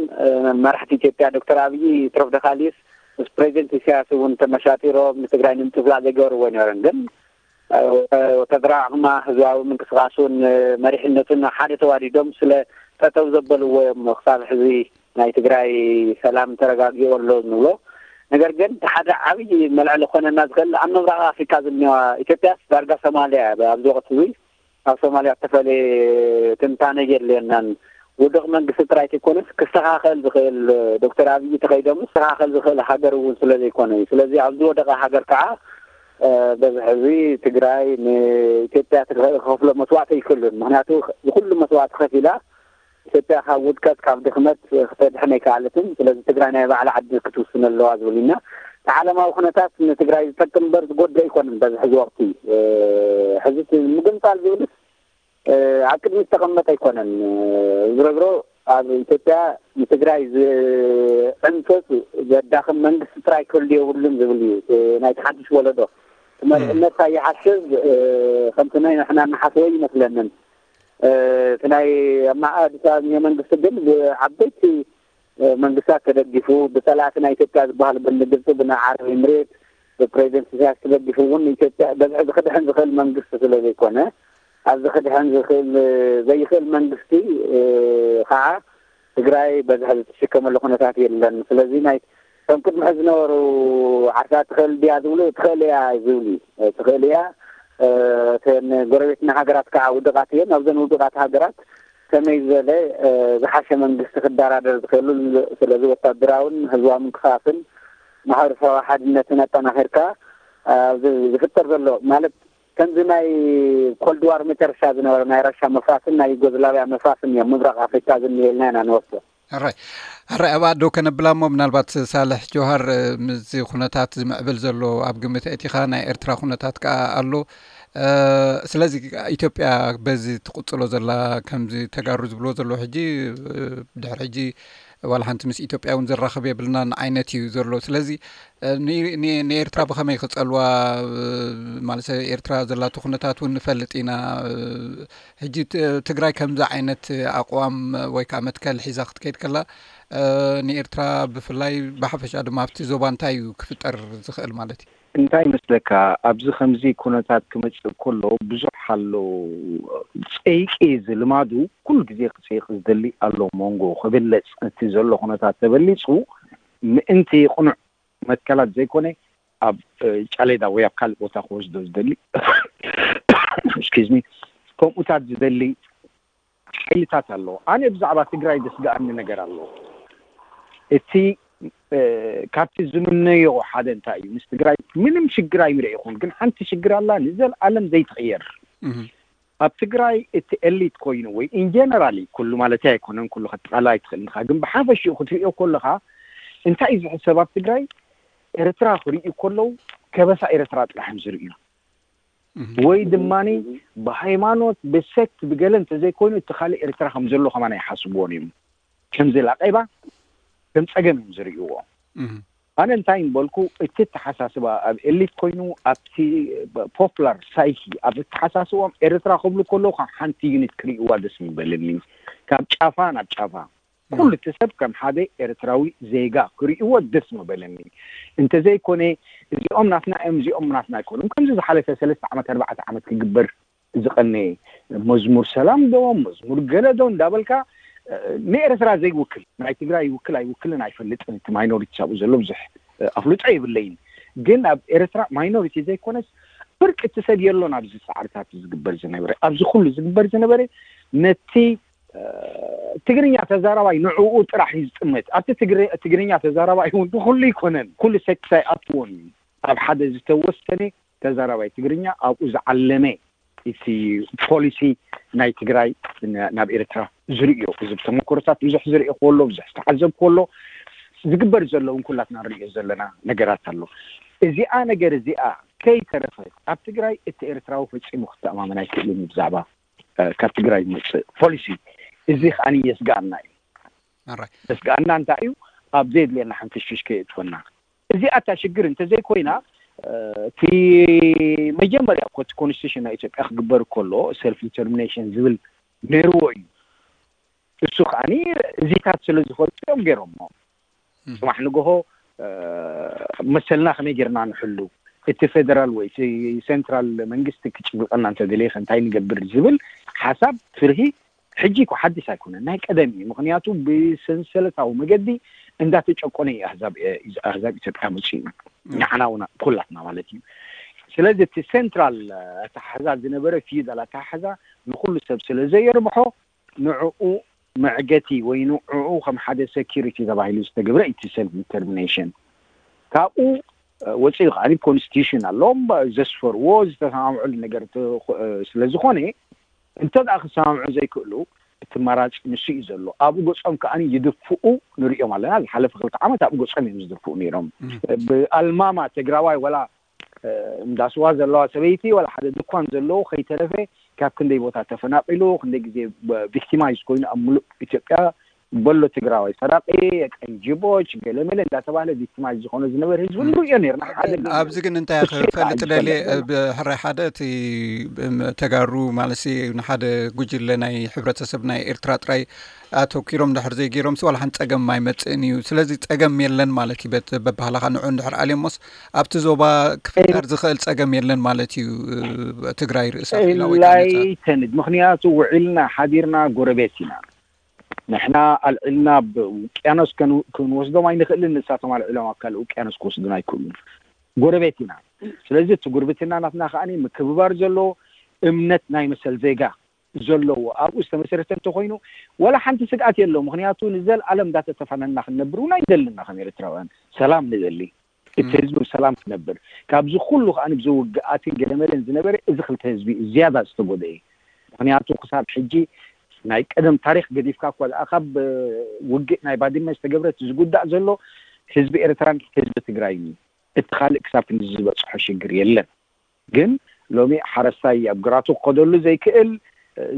መራሕቲ ኢትዮጵያ ዶክተር ኣብይ ትረፍ ደኻልዩስ ምስ ፕሬዚደንት ኢሳያስ እውን ተመሻጢሮም ንትግራይ ንምጥፍላቕ ዘይገበርዎ ኣይነበረን። ግን ወታደራዊ ዓቕማ ህዝባዊ ምንቅስቃሱን መሪሕነቱን ሓደ ተዋዲዶም ስለ ጠጠው ዘበልዎ እዮም ክሳብ ሕዚ ናይ ትግራይ ሰላም ተረጋጊኡ ኣሎ ንብሎ። ነገር ግን እቲ ሓደ ዓብዪ መልዕሊ ክኾነና ዝኽእል ኣብ ምብራቕ ኣፍሪካ ዝኒዋ ኢትዮጵያስ ዳርጋ ሶማልያ እያ ኣብዚ ወቅቲ እዚ ኣብ ሶማልያ ዝተፈለየ ትንታነ የድልየናን። ውድቕ መንግስቲ ጥራይ ዘይኮነስ ክስተኻኸል ዝኽእል ዶክተር ኣብይ ተኸይዶም ክስተኻኸል ዝኽእል ሃገር እውን ስለ ዘይኮነ እዩ። ስለዚ ኣብ ዝወደቐ ሃገር ከዓ በዚ ሕዚ ትግራይ ንኢትዮጵያ ትኸፍሎ መስዋዕቲ ኣይክእሉን። ምክንያቱ ዝኩሉ መስዋዕቲ ከፊላ ኢትዮጵያ ካብ ውድቀት ካብ ድኽመት ክተድሕን ኣይከኣለትን። ስለዚ ትግራይ ናይ ባዕላ ዓዲ ክትውስን ኣለዋ ዝብል ኢና። እቲ ዓለማዊ ኩነታት ንትግራይ ዝጠቅም እምበር ዝጎድእ ኣይኮነን። በዚ ሕዚ ወቅቲ ሕዚ ምግንፃል ዝብልስ ኣብ ቅድሚ ዝተቐመጠ ኣይኮነን። ዝረግሮ ኣብ ኢትዮጵያ ንትግራይ ዝዕንፈቱ ዘዳኽም መንግስቲ ጥራይ ክህሉ የብሉን ዝብል እዩ። ናይቲ ሓድሽ ወለዶ መሪሕነት ይሓስብ። ከምቲ ናይ ንሕና ንሓስቦ ይመስለንን። እቲ ናይ ኣብ ኣዲስ ኣበባ መንግስቲ ግን ብዓበይቲ መንግስታት ተደጊፉ፣ ብፀላእቲ ናይ ኢትዮጵያ ዝበሃል ብግብፂ፣ ብናይ ዓረብ ኤምሬት፣ ብፕሬዚደንት ኢሳያስ ተደጊፉ እውን ኢትዮጵያ በዝሒ ዝክድሕን ዝኽእል መንግስቲ ስለ ዘይኮነ፣ ኣብዚ ክድሕን ዝኽእል ዘይኽእል መንግስቲ ከዓ ትግራይ በዝሒ ዝትሽከመሉ ኩነታት የለን። ስለዚ ናይ እቶም ቅድሚ ሕዚ ዝነበሩ ዓርሳ ትኽእል ድያ ዝብሉ፣ ትኽእል እያ ዝብሉ እዩ። ትኽእል እያ። እተን ጎረቤትና ሃገራት ከዓ ውዱቃት እየን። ኣብዘን ውዱቃት ሃገራት ከመይ ዝበለ ዝሓሸ መንግስቲ ክደራደር ዝኽእሉ፣ ስለዚ ወታደራውን ህዝባዊ ምንቅስቃስን ማሕበረሰባዊ ሓድነትን ኣጠናኺርካ ኣብዚ ዝፍጠር ዘሎ ማለት ከምዚ ናይ ኮልድ ዋር መጨረሻ ዝነበረ ናይ ራሻ መፍራስን ናይ ዩጎዝላቪያ መፍራስን እዮም ምብራቕ ኣፍሪካ ዝኒኤልና ኢና ንወስዶ። ሕራይ ሕራይ ኣብ ኣዶ ከነብላ እሞ ምናልባት ሳልሕ ጆሃር ምስዚ ኩነታት ዝምዕብል ዘሎ ኣብ ግምት ኣእቲኻ ናይ ኤርትራ ኩነታት ከዓ ኣሎ። ስለዚ ኢትዮጵያ በዚ ትቕፅሎ ዘላ ከምዚ ተጋሩ ዝብልዎ ዘሎ ሕጂ ድሕሪ ሕጂ ዋላ ሓንቲ ምስ ኢትዮጵያ እውን ዘራኽብ የብልናን ዓይነት እዩ ዘሎ። ስለዚ ንኤርትራ ብኸመይ ክፀልዋ ማለት ኤርትራ ዘላቶ ኩነታት እውን ንፈልጥ ኢና። ሕጂ ትግራይ ከምዚ ዓይነት ኣቕዋም ወይ ከዓ መትከል ሒዛ ክትከይድ ከላ ንኤርትራ ብፍላይ ብሓፈሻ ድማ ኣብቲ ዞባ እንታይ እዩ ክፍጠር ዝኽእል ማለት እዩ? እንታይ ይመስለካ፣ ኣብዚ ከምዚ ኩነታት ክመፅእ ከሎ ብዙሕ ኣሎ። ፀይቂ ዝልማዱ ኩሉ ግዜ ክፀይቂ ዝደሊ ኣሎ። መንጎ ክብለፅ እቲ ዘሎ ኩነታት ተበሊፁ ምእንቲ ቅኑዕ መትከላት ዘይኮነ ኣብ ጫሌዳ ወይ ኣብ ካልእ ቦታ ክወስዶ ዝደሊ ስኪዝሚ ከምኡታት ዝደሊ ሓይልታት ኣሎ። ኣነ ብዛዕባ ትግራይ ዘስግኣኒ ነገር ኣሎ። እቲ ካብቲ ዝምነዮ ሓደ እንታይ እዩ፣ ምስ ትግራይ ምንም ሽግር ኣይምርኤኹን፣ ግን ሓንቲ ሽግር ኣላ ንዘለኣለም ዘይትቕየር። ኣብ ትግራይ እቲ ኤሊት ኮይኑ ወይ ኢንጀነራሊ ኩሉ ማለት ኣይኮነን፣ ኩሉ ከጠቓላ ኣይትኽእል ንኻ፣ ግን ብሓፈሽኡ ክትሪኦ ከለኻ እንታይ እዩ ዝሕሰብ ኣብ ትግራይ? ኤርትራ ክርእዩ ከለዉ ከበሳ ኤርትራ ጥራሕ እዮም ዝርእዩ። ወይ ድማ ብሃይማኖት ብሰክት ብገለ እንተዘይኮይኑ እቲ ካልእ ኤርትራ ከም ዘሎ ከማን ኣይሓስብዎን እዮም። ከም ዘላቀይባ ከም ፀገም እዮም ዝርእይዎ። ኣነ እንታይ ምበልኩ፣ እቲ ኣተሓሳስባ ኣብ ኤሊት ኮይኑ ኣብቲ ፖፕላር ሳይኪ ኣብ ኣተሓሳስቦም ኤርትራ ክብሉ ከለዉ ከም ሓንቲ ዩኒት ክርእይዋ ደስ ምበለኒ። ካብ ጫፋ ናብ ጫፋ ኩሉ እቲ ሰብ ከም ሓደ ኤርትራዊ ዜጋ ክርእይዎ ደስ ምበለኒ። እንተዘይኮነ እዚኦም ናትና እዮም እዚኦም ናትና ኣይኮኑን። ከምዚ ዝሓለፈ ሰለስተ ዓመት ኣርባዕተ ዓመት ክግበር ዝቐነየ መዝሙር ሰላም ዶ መዝሙር ገለ ዶ እንዳበልካ ንኤርትራ ዘይውክል ናይ ትግራይ ይውክል ኣይውክልን ኣይፈልጥን። እቲ ማይኖሪቲ ኣብኡ ዘሎ ብዙሕ ኣፍልጦ የብለይን። ግን ኣብ ኤርትራ ማይኖሪቲ ዘይኮነስ ፍርቂ እቲ ሰብ የሎን ኣብዚ ፃዕርታት ዝግበር ዝነበረ ኣብዚ ኩሉ ዝግበር ዝነበረ ነቲ ትግርኛ ተዛራባይ ንዕኡ ጥራሕ እዩ ዝጥመት። ኣብቲ ትግርኛ ተዛራባይ እውን ንኩሉ ይኮነን ኩሉ ሰክስ ኣይኣትዎን እዩ። ኣብ ሓደ ዝተወሰነ ተዛራባይ ትግርኛ ኣብኡ ዝዓለመ እቲ ፖሊሲ ናይ ትግራይ ናብ ኤርትራ ዝርእዮ እዚ ብተመክሮታት ብዙሕ ዝርእዮ ከሎ ብዙሕ ዝተዓዘብ ከሎ ዝግበር ዘለውን ኩላትና ንርእዮ ዘለና ነገራት ኣሎ። እዚኣ ነገር እዚኣ ከይተረፈት ኣብ ትግራይ እቲ ኤርትራዊ ፈጺሙ ክተኣማመን ኣይክእልን እዩ ብዛዕባ ካብ ትግራይ ዝመፅእ ፖሊሲ። እዚ ከዓ የስጋኣና እዩ። የስጋኣና እንታይ እዩ? ኣብ ዘየድልየና ሕንፍሽፍሽ ከየእትወና። እዚኣ እታ ሽግር እንተዘይኮይና እቲ መጀመርያ ኮ ኮንስቲቱሽን ናይ ኢትዮጵያ ክግበር ከሎ ሰልፍ ዲተርሚኔሽን ዝብል ነይርዎ እዩ። እሱ ከዓ እዚታት ስለ ዝፈልጡ እዮም ገይሮሞ። ፅባሕ ንግሆ መሰልና ከመይ ጌርና ንሕሉ፣ እቲ ፌደራል ወይ እቲ ሴንትራል መንግስቲ ክጭብጠና እንተደለየ እንታይ ንገብር ዝብል ሓሳብ ፍርሂ ሕጂ እኮ ሓድሽ ኣይኮነን፣ ናይ ቀደም እዩ። ምክንያቱ ብሰንሰለታዊ መገዲ እንዳተጨቆነ እዩ ኣህዛብ ኣህዛብ ኢትዮጵያ መፅኡ፣ ንዓና እውን ኩላትና ማለት እዩ። ስለዚ እቲ ሴንትራል ኣተሓሕዛ ዝነበረ ፊዩዳል ኣተሓሕዛ ንኩሉ ሰብ ስለ ዘየርብሖ ንዕኡ መዕገቲ ወይ ንዕኡ ከም ሓደ ሴኪሪቲ ተባሂሉ ዝተገብረ እቲ ሰልፍ ዲተርሚኔሽን ካብኡ ወፂኡ ከዓ ኮንስቲቱሽን ኣለዎም ዘስፈርዎ ዝተሰማምዕሉ ነገር ስለዝኮነ እንተ ደኣ ክሰማምዑ ዘይክእሉ እቲ መራፂ ንሱ እዩ ዘሎ። ኣብኡ ገፆም ከዓ ይድፍኡ ንሪኦም ኣለና። ዝሓለፈ ክልተ ዓመት ኣብኡ ገፆም እዮም ዝድፍኡ ነይሮም። ብኣልማማ ትግራዋይ ወላ እንዳስዋ ዘለዋ ሰበይቲ ወላ ሓደ ድኳን ዘለዎ ከይተረፈ ካብ ክንደይ ቦታ ተፈናቂሉ ክንደይ ግዜ ቪክቲማይዝ ኮይኑ ኣብ ሙሉእ ኢትዮጵያ በሎ ትግራዋይ ሰራቂ፣ የቀንጅቦች፣ ገለመለ እንዳተባለ ቪክቲማይዝ ዝኾነ ዝነበረ ህዝቢ ንርእዮ ነርና። ሓደ ገለ ኣብዚ ግን እንታይ ክፈልጥ ደልየ፣ ብሕራይ ሓደ እቲ ተጋሩ ማለት ንሓደ ጉጅለ ናይ ሕብረተሰብ ናይ ኤርትራ ጥራይ ኣተኪሮም ድሕር ዘይገይሮም ዋላ ሓንቲ ጸገም ኣይመጽእን እዩ። ስለዚ ጸገም የለን ማለት እዩ። በባህላኻ ንዑ እንድሕር ኣልዮሞስ ኣብቲ ዞባ ክፍጠር ዝኽእል ጸገም የለን ማለት እዩ። ትግራይ ርእሳ ክኢላ ወይ ከዓ ነጻ ኣይተንድ። ምኽንያቱ ውዒልና ሓዲርና ጎረቤት ኢና። ንሕና ኣልዒልና ብውቅያኖስ ክንወስዶም ኣይንኽእልን፣ ንሳቶም ኣልዒሎም ኣብ ካልእ ውቅያኖስ ክወስዱን ኣይክእሉን። ጎረቤት ኢና። ስለዚ እቲ ጉርብትና ናትና ከዓኒ ምክብባር ዘለዎ፣ እምነት ናይ መሰል ዜጋ ዘለዎ ኣብኡ ዝተመሰረተ እንተኾይኑ ዋላ ሓንቲ ስግኣት የለው። ምኽንያቱ ንዘለኣለም እንዳተተፋነና ክንነብር እውን ኣይንደልና። ከም ኤርትራውያን ሰላም ንደሊ። እቲ ህዝቢ ብሰላም ክነብር፣ ካብዚ ኩሉ ከዓ ብዝውግኣትን ገለመለን ዝነበረ እዚ ክልተ ህዝቢ እዩ ዝያዳ ዝተጎደኤ። ምክንያቱ ክሳብ ሕጂ ናይ ቀደም ታሪክ ገዲፍካ እኳ ደኣ ካብ ውግእ ናይ ባድመ ዝተገብረት ዝጉዳእ ዘሎ ህዝቢ ኤርትራን ህዝቢ ትግራይን እዩ። እቲ ካልእ ክሳብ ክንዲ ዝበፅሖ ሽግር የለን። ግን ሎሚ ሓረስታይ ኣብ ግራቱ ክኸደሉ ዘይክእል፣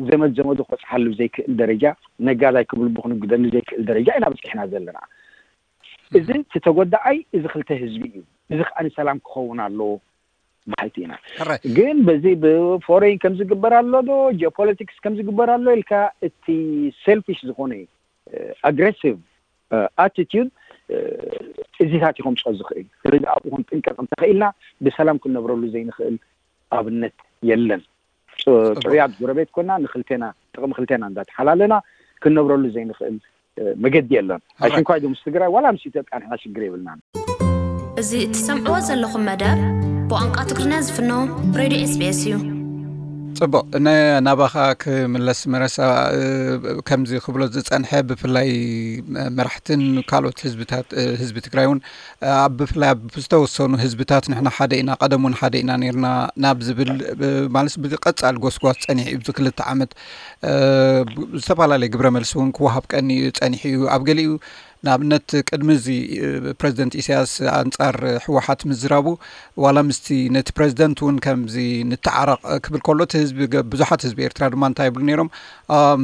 ዘመድ ዘመዱ ክበፅሓሉ ዘይክእል ደረጃ፣ ነጋዳይ ክብልቡ ክንግደሉ ዘይክእል ደረጃ ኢና በፂሕና ዘለና። እዚ እቲ ተጎዳኣይ እዚ ክልተ ህዝቢ እዩ። እዚ ከዓ ንሰላም ክኸውን ኣለዎ በሃልቲ ኢና። ሕራይ። ግን በዚ ብፎሬን ከም ዝግበር ኣሎ ዶ፣ ጂኦፖለቲክስ ከም ዝግበር ኣሎ ኢልካ እቲ ሴልፊሽ ዝኾነ ኣግሬሲቭ ኣቲቲዩድ እዚታት እዩ ከምፅኦ ዝኽእል። ስለዚ ኣብኡ ክንጥንቀቕ እንተኽኢልና ብሰላም ክንነብረሉ ዘይንኽእል ኣብነት የለን። ፅ- ፅሩያት ጎረቤት ኮና ንክልቴና ጥቕሚ ክልቴና እንዳተሓላለና ክንነብረሉ ዘይንኽእል መገዲ የለን። ኣሽንኳይ ዶ ምስ ትግራይ ዋላ ምስ ኢትዮጵያ ንሕና ሽግር የብልናን። እዚ እትሰምዕዎ ዘለኹም መደብ ብቋንቋ ትግርኛ ዝፍኖ ሬድዮ ኤስቢኤስ እዩ። ፅቡቕ። ናባኻ ክምለስ መረሳ። ከምዚ ክብሎ ዝፀንሐ ብፍላይ መራሕትን ካልኦት ህዝብታት ህዝቢ ትግራይ እውን ኣብ ብፍላይ ኣብ ዝተወሰኑ ህዝብታት ንሕና ሓደ ኢና፣ ቀደም እውን ሓደ ኢና ነርና ናብ ዝብል ማለት ብቀፃል ጎስጓስ ፀኒሑ እዩ። ብዚ ክልተ ዓመት ዝተፈላለየ ግብረ መልሲ እውን ክወሃብ ቀኒ ፀኒሑ እዩ። ኣብ ገሊኡ ንኣብነት ቅድሚ እዚ ፕረዚደንት ኢሳያስ ኣንጻር ህወሓት ምዝራቡ ዋላ ምስቲ ነቲ ፕረዚደንት እውን ከምዚ ንተዓረቕ ክብል ከሎ እቲ ህዝቢ ብዙሓት ህዝቢ ኤርትራ ድማ እንታይ ይብሉ ነይሮም?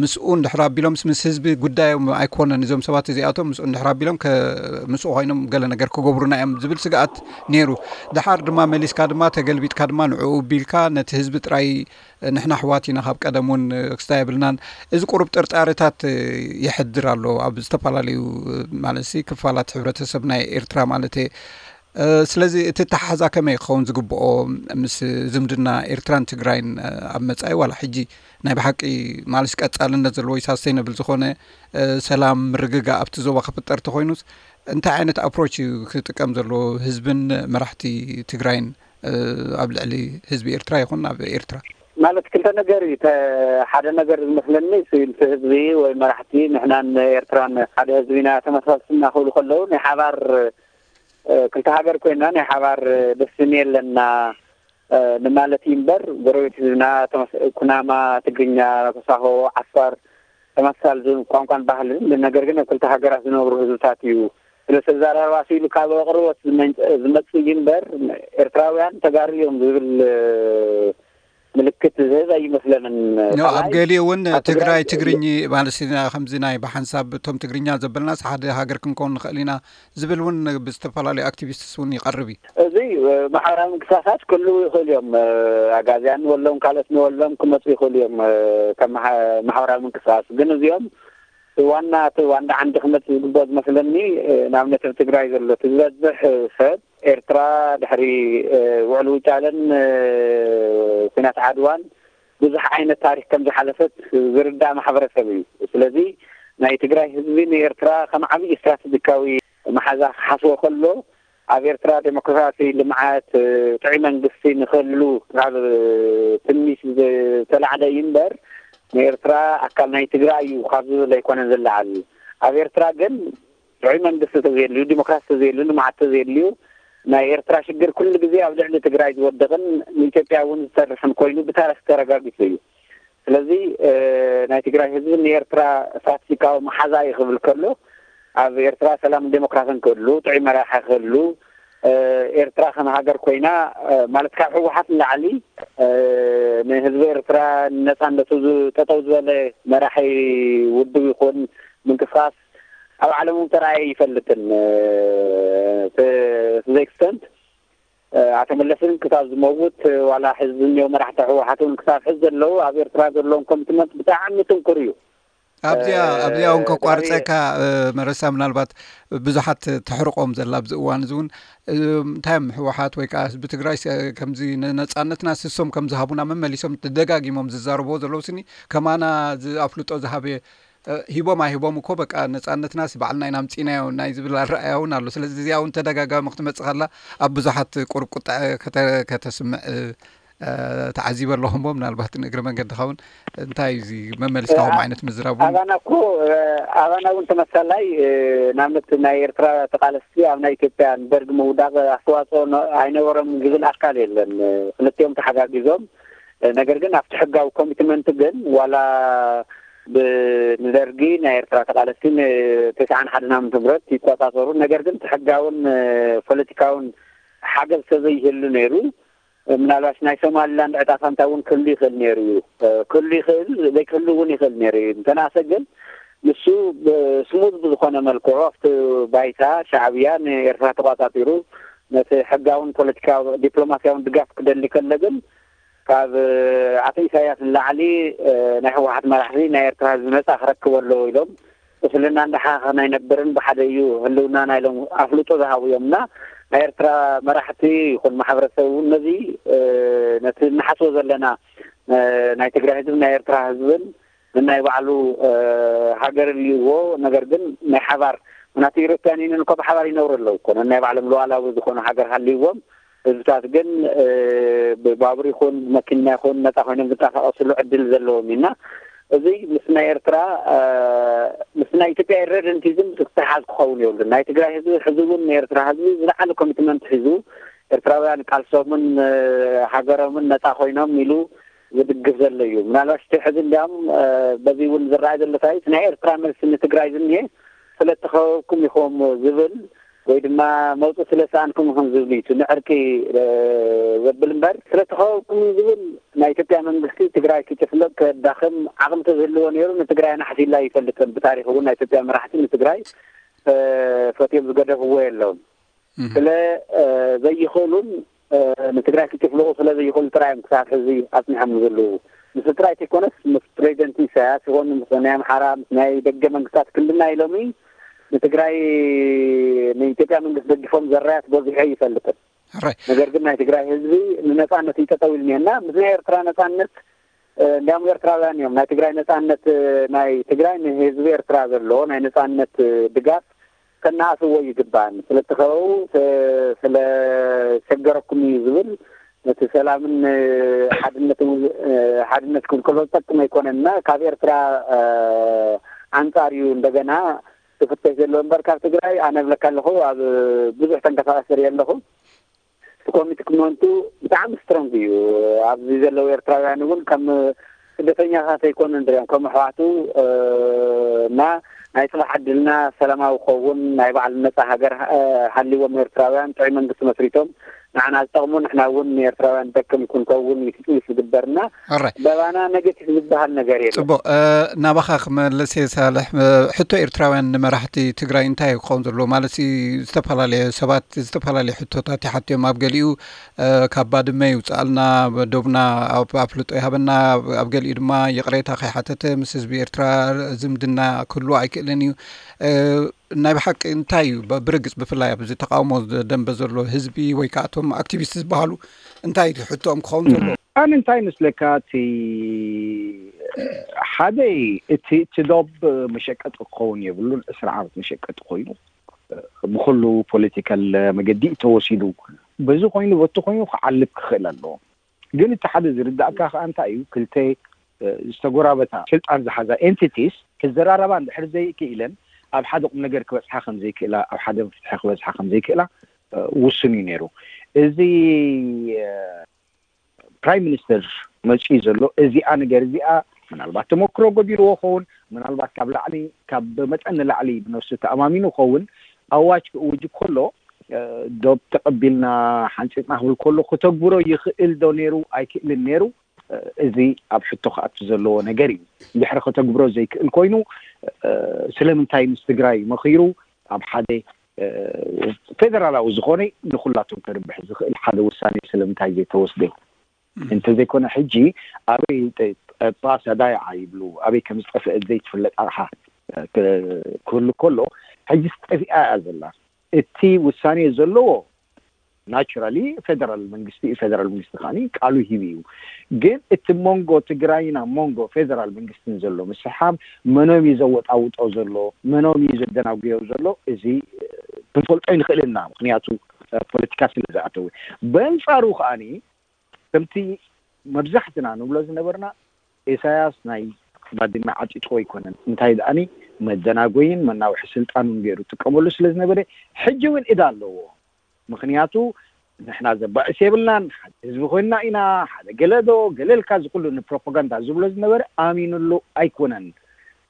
ምስኡ እንድሕር ኣቢሎምስ ምስ ህዝቢ ጉዳዮም ኣይኮነን እዞም ሰባት እዚኣቶም ምስኡ እንድሕር ኣቢሎም ምስኡ ኮይኖም ገለ ነገር ክገብሩና እዮም ዝብል ስግኣት ነይሩ። ደሓር ድማ መሊስካ ድማ ተገልቢጥካ ድማ ንዕኡ ቢልካ ነቲ ህዝቢ ጥራይ ንሕና ኣሕዋት ኢና ካብ ቀደም እውን ክስታይ የብልናን። እዚ ቁሩብ ጥርጣረታት የሕድር ኣሎ ኣብ ዝተፈላለዩ ማለት ክፋላት ሕብረተሰብ ናይ ኤርትራ ማለት እየ። ስለዚ እቲ ተሓዛ ከመይ ክኸውን ዝግብኦ ምስ ዝምድና ኤርትራን ትግራይን ኣብ መፃኢ ዋላ ሕጂ ናይ ብሓቂ ማለት ቀፃልነት ዘለዎ ሳስተይነብል ዝኾነ ሰላም ምርግጋእ ኣብቲ ዞባ ክፍጠር ተኮይኑስ እንታይ ዓይነት ኣፕሮች እዩ ክጥቀም ዘለዎ ህዝብን መራሕቲ ትግራይን ኣብ ልዕሊ ህዝቢ ኤርትራ ይኹን ኣብ ኤርትራ? ማለት ክልተ ነገር እዩ። ሓደ ነገር ዝመስለኒ እቲ ህዝቢ ወይ መራሕቲ ንሕናን ኤርትራን ሓደ ህዝቢ ኢና ተመሳስልና ክብሉ ከለዉ ናይ ሓባር ክልተ ሃገር ኮይና ናይ ሓባር ደስኒ ኣለና ንማለት እዩ እምበር ጎረቤት ህዝብና ኩናማ፣ ትግርኛ፣ ተሳሆ፣ ዓፋር ተመሳሳሊ ቋንቋን ባህልን፣ ነገር ግን ኣብ ክልተ ሃገራት ዝነብሩ ህዝብታት እዩ። ስለ ተዛራርባ ስኢሉ ካብ ኣቕርቦት ዝመጽእ እዩ እምበር ኤርትራውያን ተጋሩ እዮም ዝብል ምልክት ዝህብ ኣይመስለንን። ኣብ ገሊኡ እውን ትግራይ ትግርኝ ማለት ከምዚ ናይ ብሓንሳብ እቶም ትግርኛ ዘበልናስ ሓደ ሃገር ክንከውን ንኽእል ኢና ዝብል እውን ብዝተፈላለዩ ኣክቲቪስትስ እውን ይቐርብ እዩ። እዚ ማሕበራዊ ምንቅስቃሳት ክህልዉ ይኽእሉ እዮም። ኣጋዝያን ንበሎም ካልኦት ንበሎም ክመፁ ይኽእሉ እዮም ከም ማሕበራዊ ምንቅስቃስ። ግን እዚኦም ዋና እቲ ዋንዳ ዓንዲ ክመፅእ ዝግብኦ ዝመስለኒ ንኣብነት ኣብ ትግራይ ዘሎ እቲ ዝበዝሕ ሰብ ኤርትራ ድሕሪ ውዕሊ ውጫለን ኩናት ዓድዋን ብዙሕ ዓይነት ታሪክ ከም ዝሓለፈት ዝርዳእ ማሕበረሰብ እዩ። ስለዚ ናይ ትግራይ ህዝቢ ንኤርትራ ከም ዓብዪ ስትራተጂካዊ መሓዛ ክሓስቦ ከሎ ኣብ ኤርትራ ዴሞክራሲ፣ ልምዓት፣ ጥዑይ መንግስቲ ንክህሉ ካብ ትምኒት ዝተላዕለ እዩ እምበር ንኤርትራ ኣካል ናይ ትግራይ እዩ ካብ ዝብል ኣይኮነን ዝለዓል። ኣብ ኤርትራ ግን ጥዑይ መንግስቲ ተዘየልዩ፣ ዲሞክራሲ ተዘየልዩ፣ ልምዓት ተዘየልዩ ናይ ኤርትራ ሽግር ኩሉ ግዜ ኣብ ልዕሊ ትግራይ ዝወድቕን ንኢትዮጵያ እውን ዝተርፍን ኮይኑ ብታሪክ ተረጋጊፁ እዩ። ስለዚ ናይ ትግራይ ህዝቢ ንኤርትራ ስትራተጂካዊ መሓዛ እዩ ክብል ከሎ ኣብ ኤርትራ ሰላምን ዴሞክራሲን ክህሉ፣ ጥዑይ መራሒ ክህሉ፣ ኤርትራ ከም ሃገር ኮይና ማለት ካብ ህወሓት ንላዕሊ ንህዝቢ ኤርትራ ንነፃነቱ ጠጠው ዝበለ መራሒ ውድብ ይኹን ምንቅስቃስ ኣብ ዓለም እውን ተራእየ ይፈልጥን። To the extent ኣቶ መለስን ክሳብ ዝመውት ዋላ ሕዚ ዝኒኦ መራሕቲ ህወሓት እውን ክሳብ ሕዚ ዘለዉ ኣብ ኤርትራ ዘለዎም ኮሚትመንት ብጣዕሚ ጥንኩር እዩ። ኣብዚኣ ኣብዚኣ እውን ከቋርፀካ መረሳ፣ ምናልባት ብዙሓት ተሕርቆም ዘላ ኣብዚ እዋን እዚ እውን እንታይ እዮም ህወሓት ወይ ከዓ ህዝቢ ትግራይ ከምዚ ነፃነትና ስሶም ከም ዝሃቡና መመሊሶም ደጋጊሞም ዝዛረብዎ ዘለዉ ስኒ ከማና ኣፍልጦ ዝሃበ ሂቦም ኣይሂቦም እኮ በቃ ነፃነትናስ ባዕልና ኢና ኣምፂናዮ ናይ ዝብል ኣረኣያ እውን ኣሎ። ስለዚ እዚኣ እውን ተደጋጋሚ ክትመፅእ ከላ ኣብ ብዙሓት ቁሩብ ቁጣ ከተስምዕ ተዓዚበ ኣለኹ። እሞ ምናልባት ንእግረ መንገድኻ እውን እንታይ እዩ እዚ መመሊስካ ከምኡ ዓይነት ምዝራብ እውን? ኣባና እኮ ኣባና እውን ተመሳላይ ንኣብነት ናይ ኤርትራ ተቃለስቲ ኣብ ናይ ኢትዮጵያ ንደርግ ምውዳቅ ኣስተዋፅኦ ኣይነበሮም ዝብል ኣካል የለን። ክልቲኦም ተሓጋጊዞም ነገር ግን ኣብቲ ሕጋዊ ኮሚትመንት ግን ዋላ ንደርጊ ናይ ኤርትራ ተቃለስቲ ንተስዓን ሓደን ዓመተ ምህረት ይቆጻጸሩ። ነገር ግን እቲ ሕጋውን ፖለቲካውን ሓገዝ ተዘይህሉ ነይሩ ምናልባሽ ናይ ሶማሊላንድ ዕጣ ፋንታ እውን ክህሉ ይኽእል ነይሩ እዩ። ክህሉ ይኽእል ዘይክህሉ እውን ይኽእል ነይሩ እዩ። እንተናሰ ግን ንሱ ስሙዝ ብዝኾነ መልክዑ ኣብቲ ባይታ ሻዕብያ ንኤርትራ ተቋጻጺሩ ነቲ ሕጋውን ፖለቲካዊ ዲፕሎማሲያውን ድጋፍ ክደሊ ከሎ ግን ካብ ኣቶ ኢሳያስ ንላዕሊ ናይ ህወሓት መራሕቲ ናይ ኤርትራ ህዝቢ ነፃ ክረክብ ኣለዎ ኢሎም ቁስልና እንዳሓኸ ናይ ነበርን ብሓደ እዩ ህልውናና ኢሎም ኣፍልጦ ዝሃቡ እዮም እና ናይ ኤርትራ መራሕቲ ይኹን ማሕበረሰብ እውን ነዚ ነቲ እንሓስቦ ዘለና ናይ ትግራይ ህዝብን ናይ ኤርትራ ህዝብን ናይ ባዕሉ ሃገር ይዎ ነገር ግን ናይ ሓባር ምናቱ ኢሮፕያን ዩኒን እኮ ብሓባር ይነብሩ ኣለዉ እኮ ናይ ባዕሎም ሉዓላዊ ዝኾኑ ሃገር ሃልይዎም ህዝብታት ግን ብባቡር ይኹን ብመኪና ይኹን ነፃ ኮይኖም ዝንቀሳቀስሉ ዕድል ዘለዎም ኢና። እዚ ምስ ናይ ኤርትራ ምስ ናይ ኢትዮጵያ ኢረደንቲዝም ዝተሓዝ ክኸውን የብሉ። ናይ ትግራይ ህዝቢ ሕዚ እውን ንኤርትራ ህዝቢ ዝለዓለ ኮሚትመንት ሒዙ ኤርትራውያን ቃልሶምን ሃገሮምን ነፃ ኮይኖም ኢሉ ዝድግፍ ዘሎ እዩ። ምናልባሽ እቲ ሕዚ እንዲያም በዚ እውን ዝረኣይ ዘሎ እንታይ ናይ ኤርትራ መልሲ ንትግራይ ዝኒሄ ስለ እተኸበብኩም ኢኹም ዝብል ወይ ድማ መውፅእ ስለ ሰኣንኩም ኢኹም ዝብል እዩ። ንዕርቂ ዘብል እምበር ስለ እተኸበብኩም ዝብል ናይ ኢትዮጵያ መንግስቲ ትግራይ ክጭፍለቅ ከዳኽም ዓቕሚ ተዝህልዎ ነይሩ ንትግራይ ኣናሕሲላ ይፈልጥን ብታሪክ እውን ናይ ኢትዮጵያ መራሕቲ ንትግራይ ፈትዮም ዝገደፍዎ የለውን። ስለ ዘይኽእሉን ንትግራይ ክጭፍልቑ ስለ ዘይኽእሉ ጥራይ እዮም ክሳብ ሕዚ ኣፅኒሖም ዘለዉ። ምስ ጥራይ ተይኮነስ ምስ ፕሬዚደንት ኢሳያስ ይኾኑ ምስ ናይ ኣምሓራ ምስ ናይ ደገ መንግስታት ክንድና ኢሎሚ ንትግራይ ንኢትዮጵያ መንግስት ደግፎም ዘራያት በዚሑ ይፈልጥን። ሕራይ ነገር ግን ናይ ትግራይ ህዝቢ ንነፃነት እዩ ጠጠው ኢሉ እኒሀና ምስ ናይ ኤርትራ ነፃነት እንዲያውም ኤርትራውያን እዮም ናይ ትግራይ ነፃነት ናይ ትግራይ ንህዝቢ ኤርትራ ዘለዎ ናይ ነፃነት ድጋፍ ከነኣስዎ ይግባን ስለተኸበቡ ስለሸገረኩም እዩ ዝብል ነቲ ሰላምን ሓድነትን ሓድነትኩም ከሎ ዝጠቅም ኣይኮነና ካብ ኤርትራ ኣንፃር እዩ እንደገና ዝፍተሽ ዘሎ እምበር ካብ ትግራይ ኣነ ብለካ ኣለኹ ኣብ ብዙሕ ተንቀሳቀስ ርኢ ኣለኹ ኮሚትመንቱ ብጣዕሚ ስትሮንግ እዩ ኣብዚ ዘለዉ ኤርትራውያን እውን ከም ስደተኛታት ኣይኮኑ ንሪኦም ከም ኣሕዋቱ እና ናይ ፅባሕ ዕድልና ሰላማዊ ክኸውን ናይ ባዕሉ ነፃ ሃገር ሃልዎም ኤርትራውያን ጥዑይ መንግስቲ መስሪቶም ንዓና ዝጠቕሙ ንሕና እውን ንኤርትራውያን ዝጠቅም ክንከውን ይትፅቢት ዝግበርና በባና ኔጌቲቭ ዝበሃል ነገር የለን። ፅቡቕ። ናባኻ ክመልስ እየ ሳልሕ። ሕቶ ኤርትራውያን ንመራሕቲ ትግራይ እንታይ እዩ ክኸውን ዘለዎ? ማለት ዝተፈላለየ ሰባት ዝተፈላለየ ሕቶታት ይሓቱ እዮም። ኣብ ገሊኡ ካብ ባድመ ይውፅኣልና፣ ዶብና ኣፍልጦ ይሃበና፣ ኣብ ገሊኡ ድማ ይቕሬታ ከይሓተተ ምስ ህዝቢ ኤርትራ ዝምድና ክህልዎ ኣይክእልን እዩ። ናይ ብሓቂ እንታይ እዩ ብርግፅ ብፍላይ ኣብዚ ተቃውሞ ደንበ ዘሎ ህዝቢ ወይ ከዓ እቶም ኣክቲቪስት ዝበሃሉ እንታይ እዩ ሕቶኦም ክኸውን ዘለዎ? ኣነ እንታይ ይመስለካ እቲ ሓደ እቲ እቲ ዶብ መሸቀጢ ክኸውን የብሉን ዕስራ ዓመት መሸቀጢ ኮይኑ ብኩሉ ፖለቲካል መገዲ ተወሲዱ በዚ ኮይኑ በቲ ኮይኑ ክዓልብ ክኽእል ኣለዎ ግን እቲ ሓደ ዝርዳእካ ከዓ እንታይ እዩ ክልተ ዝተጎራበታ ስልጣን ዝሓዛ ኤንቲቲስ ክዘራረባ እንድሕር ዘይክኢለን ኣብ ሓደ ቁም ነገር ክበፅሓ ከምዘይክእላ ኣብ ሓደ ፍትሒ ክበፅሓ ከምዘይክእላ ውሱን እዩ ነይሩ እዚ ፕራይም ሚኒስተር መፅኡ ዘሎ እዚኣ ነገር እዚኣ ምናልባት ተመክሮ ጎዲልዎ ኸውን ምናልባት ካብ ላዕሊ ካብ መጠን ንላዕሊ ብነፍሱ ተኣማሚኑ ኸውን ኣዋጅ ክእውጅ ከሎ ዶብ ተቐቢልና ሓንፂፅና ክብል ከሎ ክተግብሮ ይኽእል ዶ ነይሩ ኣይክእልን ነይሩ እዚ ኣብ ሕቶ ክኣቱ ዘለዎ ነገር እዩ እንድሕሪ ከተግብሮ ዘይክእል ኮይኑ ስለምንታይ ምስ ትግራይ መኺሩ ኣብ ሓደ ፌደራላዊ ዝኾነ ንኩላቶም ከርብሕ ዝኽእል ሓደ ውሳኔ ስለምንታይ ዘይተወስደ? እንተዘይኮነ ሕጂ ኣበይ ጠ- ጠባሳ ዳይዓ ይብሉ፣ ኣበይ ከም ዝጠፍአት ዘይትፍለጥ ኣቕሓ ክህሉ ከሎ፣ ሕጂ ጠፊኣ እያ ዘላ። እቲ ውሳኔ ዘለዎ ናቹራሊ ፌደራል መንግስቲ እዩ። ፌደራል መንግስቲ ከዓኒ ቃሉ ሂቡ እዩ። ግን እቲ መንጎ ትግራይና መንጎ ፌደራል መንግስትን ዘሎ ምስሓብ፣ መኖም እዩ ዘወጣውጦ ዘሎ፣ መኖም እዩ ዘደናጉዮ ዘሎ፣ እዚ ክንፈልጦ ይንኽእል ኢና። ምክንያቱ ፖለቲካ ስለ ዝኣተወ። በንጻሩ ከዓኒ ከምቲ መብዛሕትና ንብሎ ዝነበርና፣ ኢሳያስ ናይ ባድመ ዓጢጥዎ ኣይኮነን። እንታይ ደኣኒ መደናጎይን መናውሒ ስልጣኑን ገይሩ ጥቀመሉ ስለ ዝነበረ፣ ሕጂ እውን እዳ ኣለዎ። ምክንያቱ ንሕና ዘባእስ የብልናን፣ ሓደ ህዝቢ ኮይንና ኢና፣ ሓደ ገለዶ ገለልካ ዝኩሉ ንፕሮፓጋንዳ ዝብሎ ዝነበረ ኣሚኑሉ ኣይኮነን።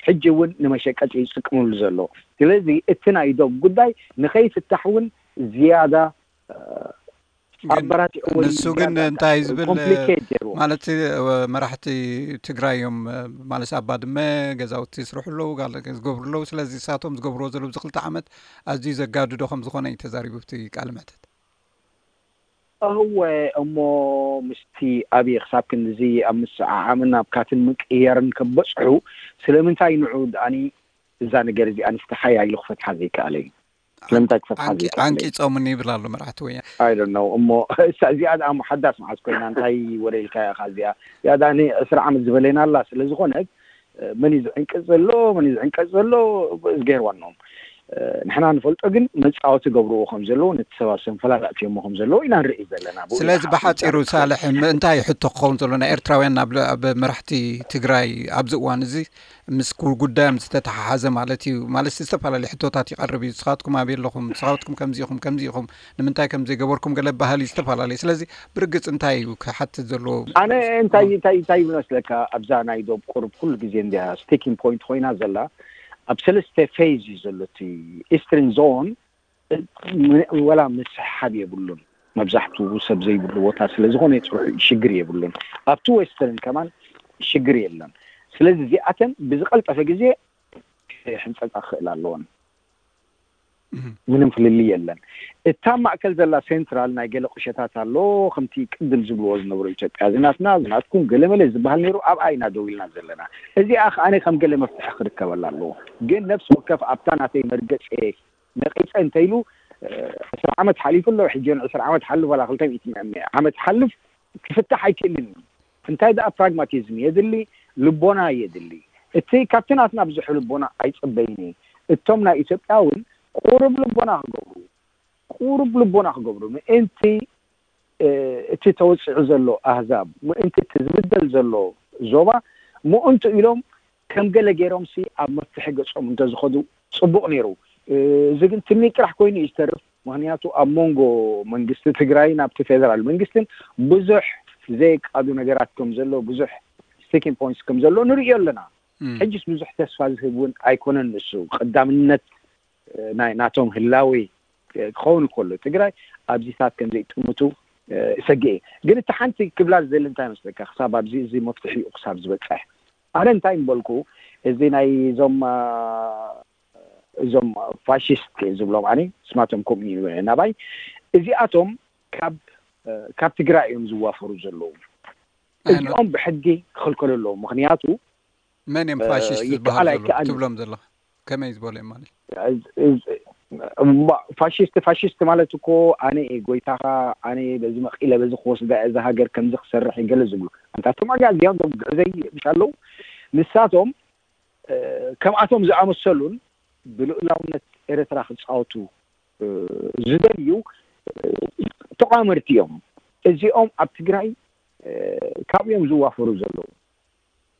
ሕጂ እውን ንመሸቀጢ ይጥቀምሉ ዘሎ። ስለዚ እቲ ናይ ዶብ ጉዳይ ንኸይፍታሕ እውን ዝያዳ ኣበራቲዕዎ እዩ። ንሱ ግን እንታይ ዝብል ማለት፣ መራሕቲ ትግራይ እዮም ማለት ኣብ ባድመ ገዛውቲ ይስርሑ ኣለዉ፣ ዝገብሩ ኣለዉ። ስለዚ እሳቶም ዝገብርዎ ዘለዉ እዚ ክልተ ዓመት ኣዝዩ ዘጋድዶ ከም ዝኾነ እዩ ተዛሪቡ እቲ ቃለ መሕተት። እወ፣ እሞ ምስቲ ኣብይ ክሳብ ክንድዚ ኣብ ምስዓዓምን ኣብ ካትን ምቅያርን ከበፅሑ ስለምንታይ ንዑ ደኣኒ እዛ ነገር እዚኣ ንስተሓያይሉ ክፈትሓ ዘይከኣለ እዩ? ስለምንታይ ክፈትሓ ዘይከኣለ? ዓንቂፆምኒ ይብል ኣሎ መራሕቲ ወያነ። I don't know። እሞ እሳ እዚኣ ደኣ ሓዳስ መዓዝ ኮይና? እንታይ ወረ ኢልካ ኢኻ እዚኣ? እዚኣ ደኣ ዕስራ ዓመት ዝበለና ኣላ። ስለ ዝኾነት መን እዩ ዝዕንቅፅ ዘሎ፣ መን እዩ ዝዕንቀፅ ዘሎ፣ እዝግሄር ዋንኦም። ንሕና ንፈልጦ ግን መፃወቲ ገብርዎ ከም ዘለዉ፣ ነቲ ሰብ ኣብ ሰንፈላል ኣእትዮሞ ከም ዘለዉ ኢና ንርኢ ዘለና። ብኡ ስለዚ ይሓ- ብሓፂሩ ይሓ- ሳልሕ ም- እንታይ ሕቶ ክኸውን ዘሎ ናይ ኤርትራውያን ናብ ብ- ኣብ መራሕቲ ትግራይ ኣብዚ እዋን እዚ ምስ ኩ- ጉዳዮም ዝተተሓሓዘ ማለት እዩ። ማለት ዝተፈላለዩ ሕቶታት ይቐርብ እዩ። ንስኻትኩም ኣበይ ኣለኹም? ንስኻትኩም ከምዚ ኢኹም፣ ከምዚ ኢኹም፣ ንምንታይ ከም ዘይገበርኩም ገለ ባህሊ ዝተፈላለዩ። ስለዚ ብርግፅ እንታይ እዩ ክሓትት ዘለዎ? ኣነ እንታይ እንታይ እንታይ ይመስለካ፣ ኣብዛ ናይ ዶብ ቁርብ ኩሉ ግዜ እንዲያ ስቲኪንግ ፖይንት ኮይና ዘላ። ኣብ ሰለስተ ፌዝ እዩ ዘሎ እቲ ኢስትርን ዞን። ወላ ምስሓብ የብሉን። መብዛሕትኡ ሰብ ዘይብሉ ቦታ ስለ ዝኾነ ሽግር የብሉን። ኣብቲ ዌስተርን ከማን ሽግር የለን። ስለዚ እዚኣተን ብዝቐልጠፈ ግዜ ሕንፀፃ ክኽእል ኣለዎን። ምንም ፍልልይ የለን። እታ ማእከል ዘላ ሴንትራል ናይ ገለ ቁሸታት ኣሎ። ከምቲ ቅድም ዝብልዎ ዝነበሩ ኢትዮጵያ እዚ ናትና እዚ ናትኩም ገለመለ ዝበሃል ነይሩ። ኣብኣ ኢና ደው ኢልና ዘለና። እዚኣ ከዓነ ከም ገለ መፍትሒ ክርከበላ ኣለዎ። ግን ነፍሲ ወከፍ ኣብታ ናተይ መርገፂ ነቂፀ እንተኢሉ ዕስራ ዓመት ሓሊፉ ኣሎ። ሕጂ እውን ዕስራ ዓመት ሓልፍ ዋላ ክልተ ሚእቲ ዓመት ሓልፍ ክፍታሕ ኣይክእልን እዩ። እንታይ ደኣ ፕራግማቲዝም የድሊ፣ ልቦና የድሊ። እቲ ካብቲ ናትና ብዙሕ ልቦና ኣይፅበይን እየ። እቶም ናይ ኢትዮጵያ እውን ቁሩብ ልቦና ክገብሩ ቁሩብ ልቦና ክገብሩ ምእንቲ እቲ ተወፂዑ ዘሎ ኣህዛብ ምእንቲ እቲ ዝብደል ዘሎ ዞባ ምእንቱ ኢሎም ከም ገለ ገይሮም ሲ ኣብ መፍትሒ ገፆም እንተዝኸዱ ፅቡቕ ነይሩ። እዚ ግን ትምኒት ጥራሕ ኮይኑ እዩ ዝተርፍ። ምክንያቱ ኣብ መንጎ መንግስቲ ትግራይን ኣብቲ ፌደራል መንግስትን ብዙሕ ዘይቃዱ ነገራት ከም ዘሎ ብዙሕ ስቲኪንግ ፖይንትስ ከም ዘሎ ንርእዮ ኣለና። ሕጅስ ብዙሕ ተስፋ ዝህብ እውን ኣይኮነን። ንሱ ቀዳምነት ናይ ናቶም ህላዌ ክኸውን ከሎ ትግራይ ኣብዚታት ከም ዘይጥምቱ እሰግእ እየ። ግን እቲ ሓንቲ ክብላ ዝደሊ እንታይ መስለካ? ክሳብ ኣብዚ እዚ መፍትሒኡ ክሳብ ዝበፅሕ ኣነ እንታይ ምበልኩ፣ እዚ ናይ እዞም እዞም ፋሽስት ዝብሎም ኣነ ስማቶም ከምኡ እዩ ናባይ። እዚኣቶም ካብ ካብ ትግራይ እዮም ዝዋፈሩ ዘለዉ። እዚኦም ብሕጊ ክኽልከሉ ኣለዎም። ምክንያቱ መን እዮም ፋሽስት ዝበሃሉ ይከኣል ዘለዉ ኣይከኣልን ትብሎም ዘለኻ? ከመይ ዝበሉ እዮም ማለት? ፋሽስት ፋሽስት ማለት እኮ ኣነ እየ ጎይታኻ፣ ኣነ እየ በዚ መቒለ በዚ ክወስዳ እየ፣ እዛ ሃገር ከምዚ ክሰርሕ እየ ገለ ዝብሉ። ኣንታ እቶም ኣጋዚያን ዞም ግዕዘይ ምሽ ኣለዉ። ንሳቶም ከምኣቶም ዝኣመሰሉን ብልኡላውነት ኤርትራ ክፃወቱ ዝደልዩ ተቋመርቲ እዮም። እዚኦም ኣብ ትግራይ ካብኡ እዮም ዝዋፈሩ ዘለዉ።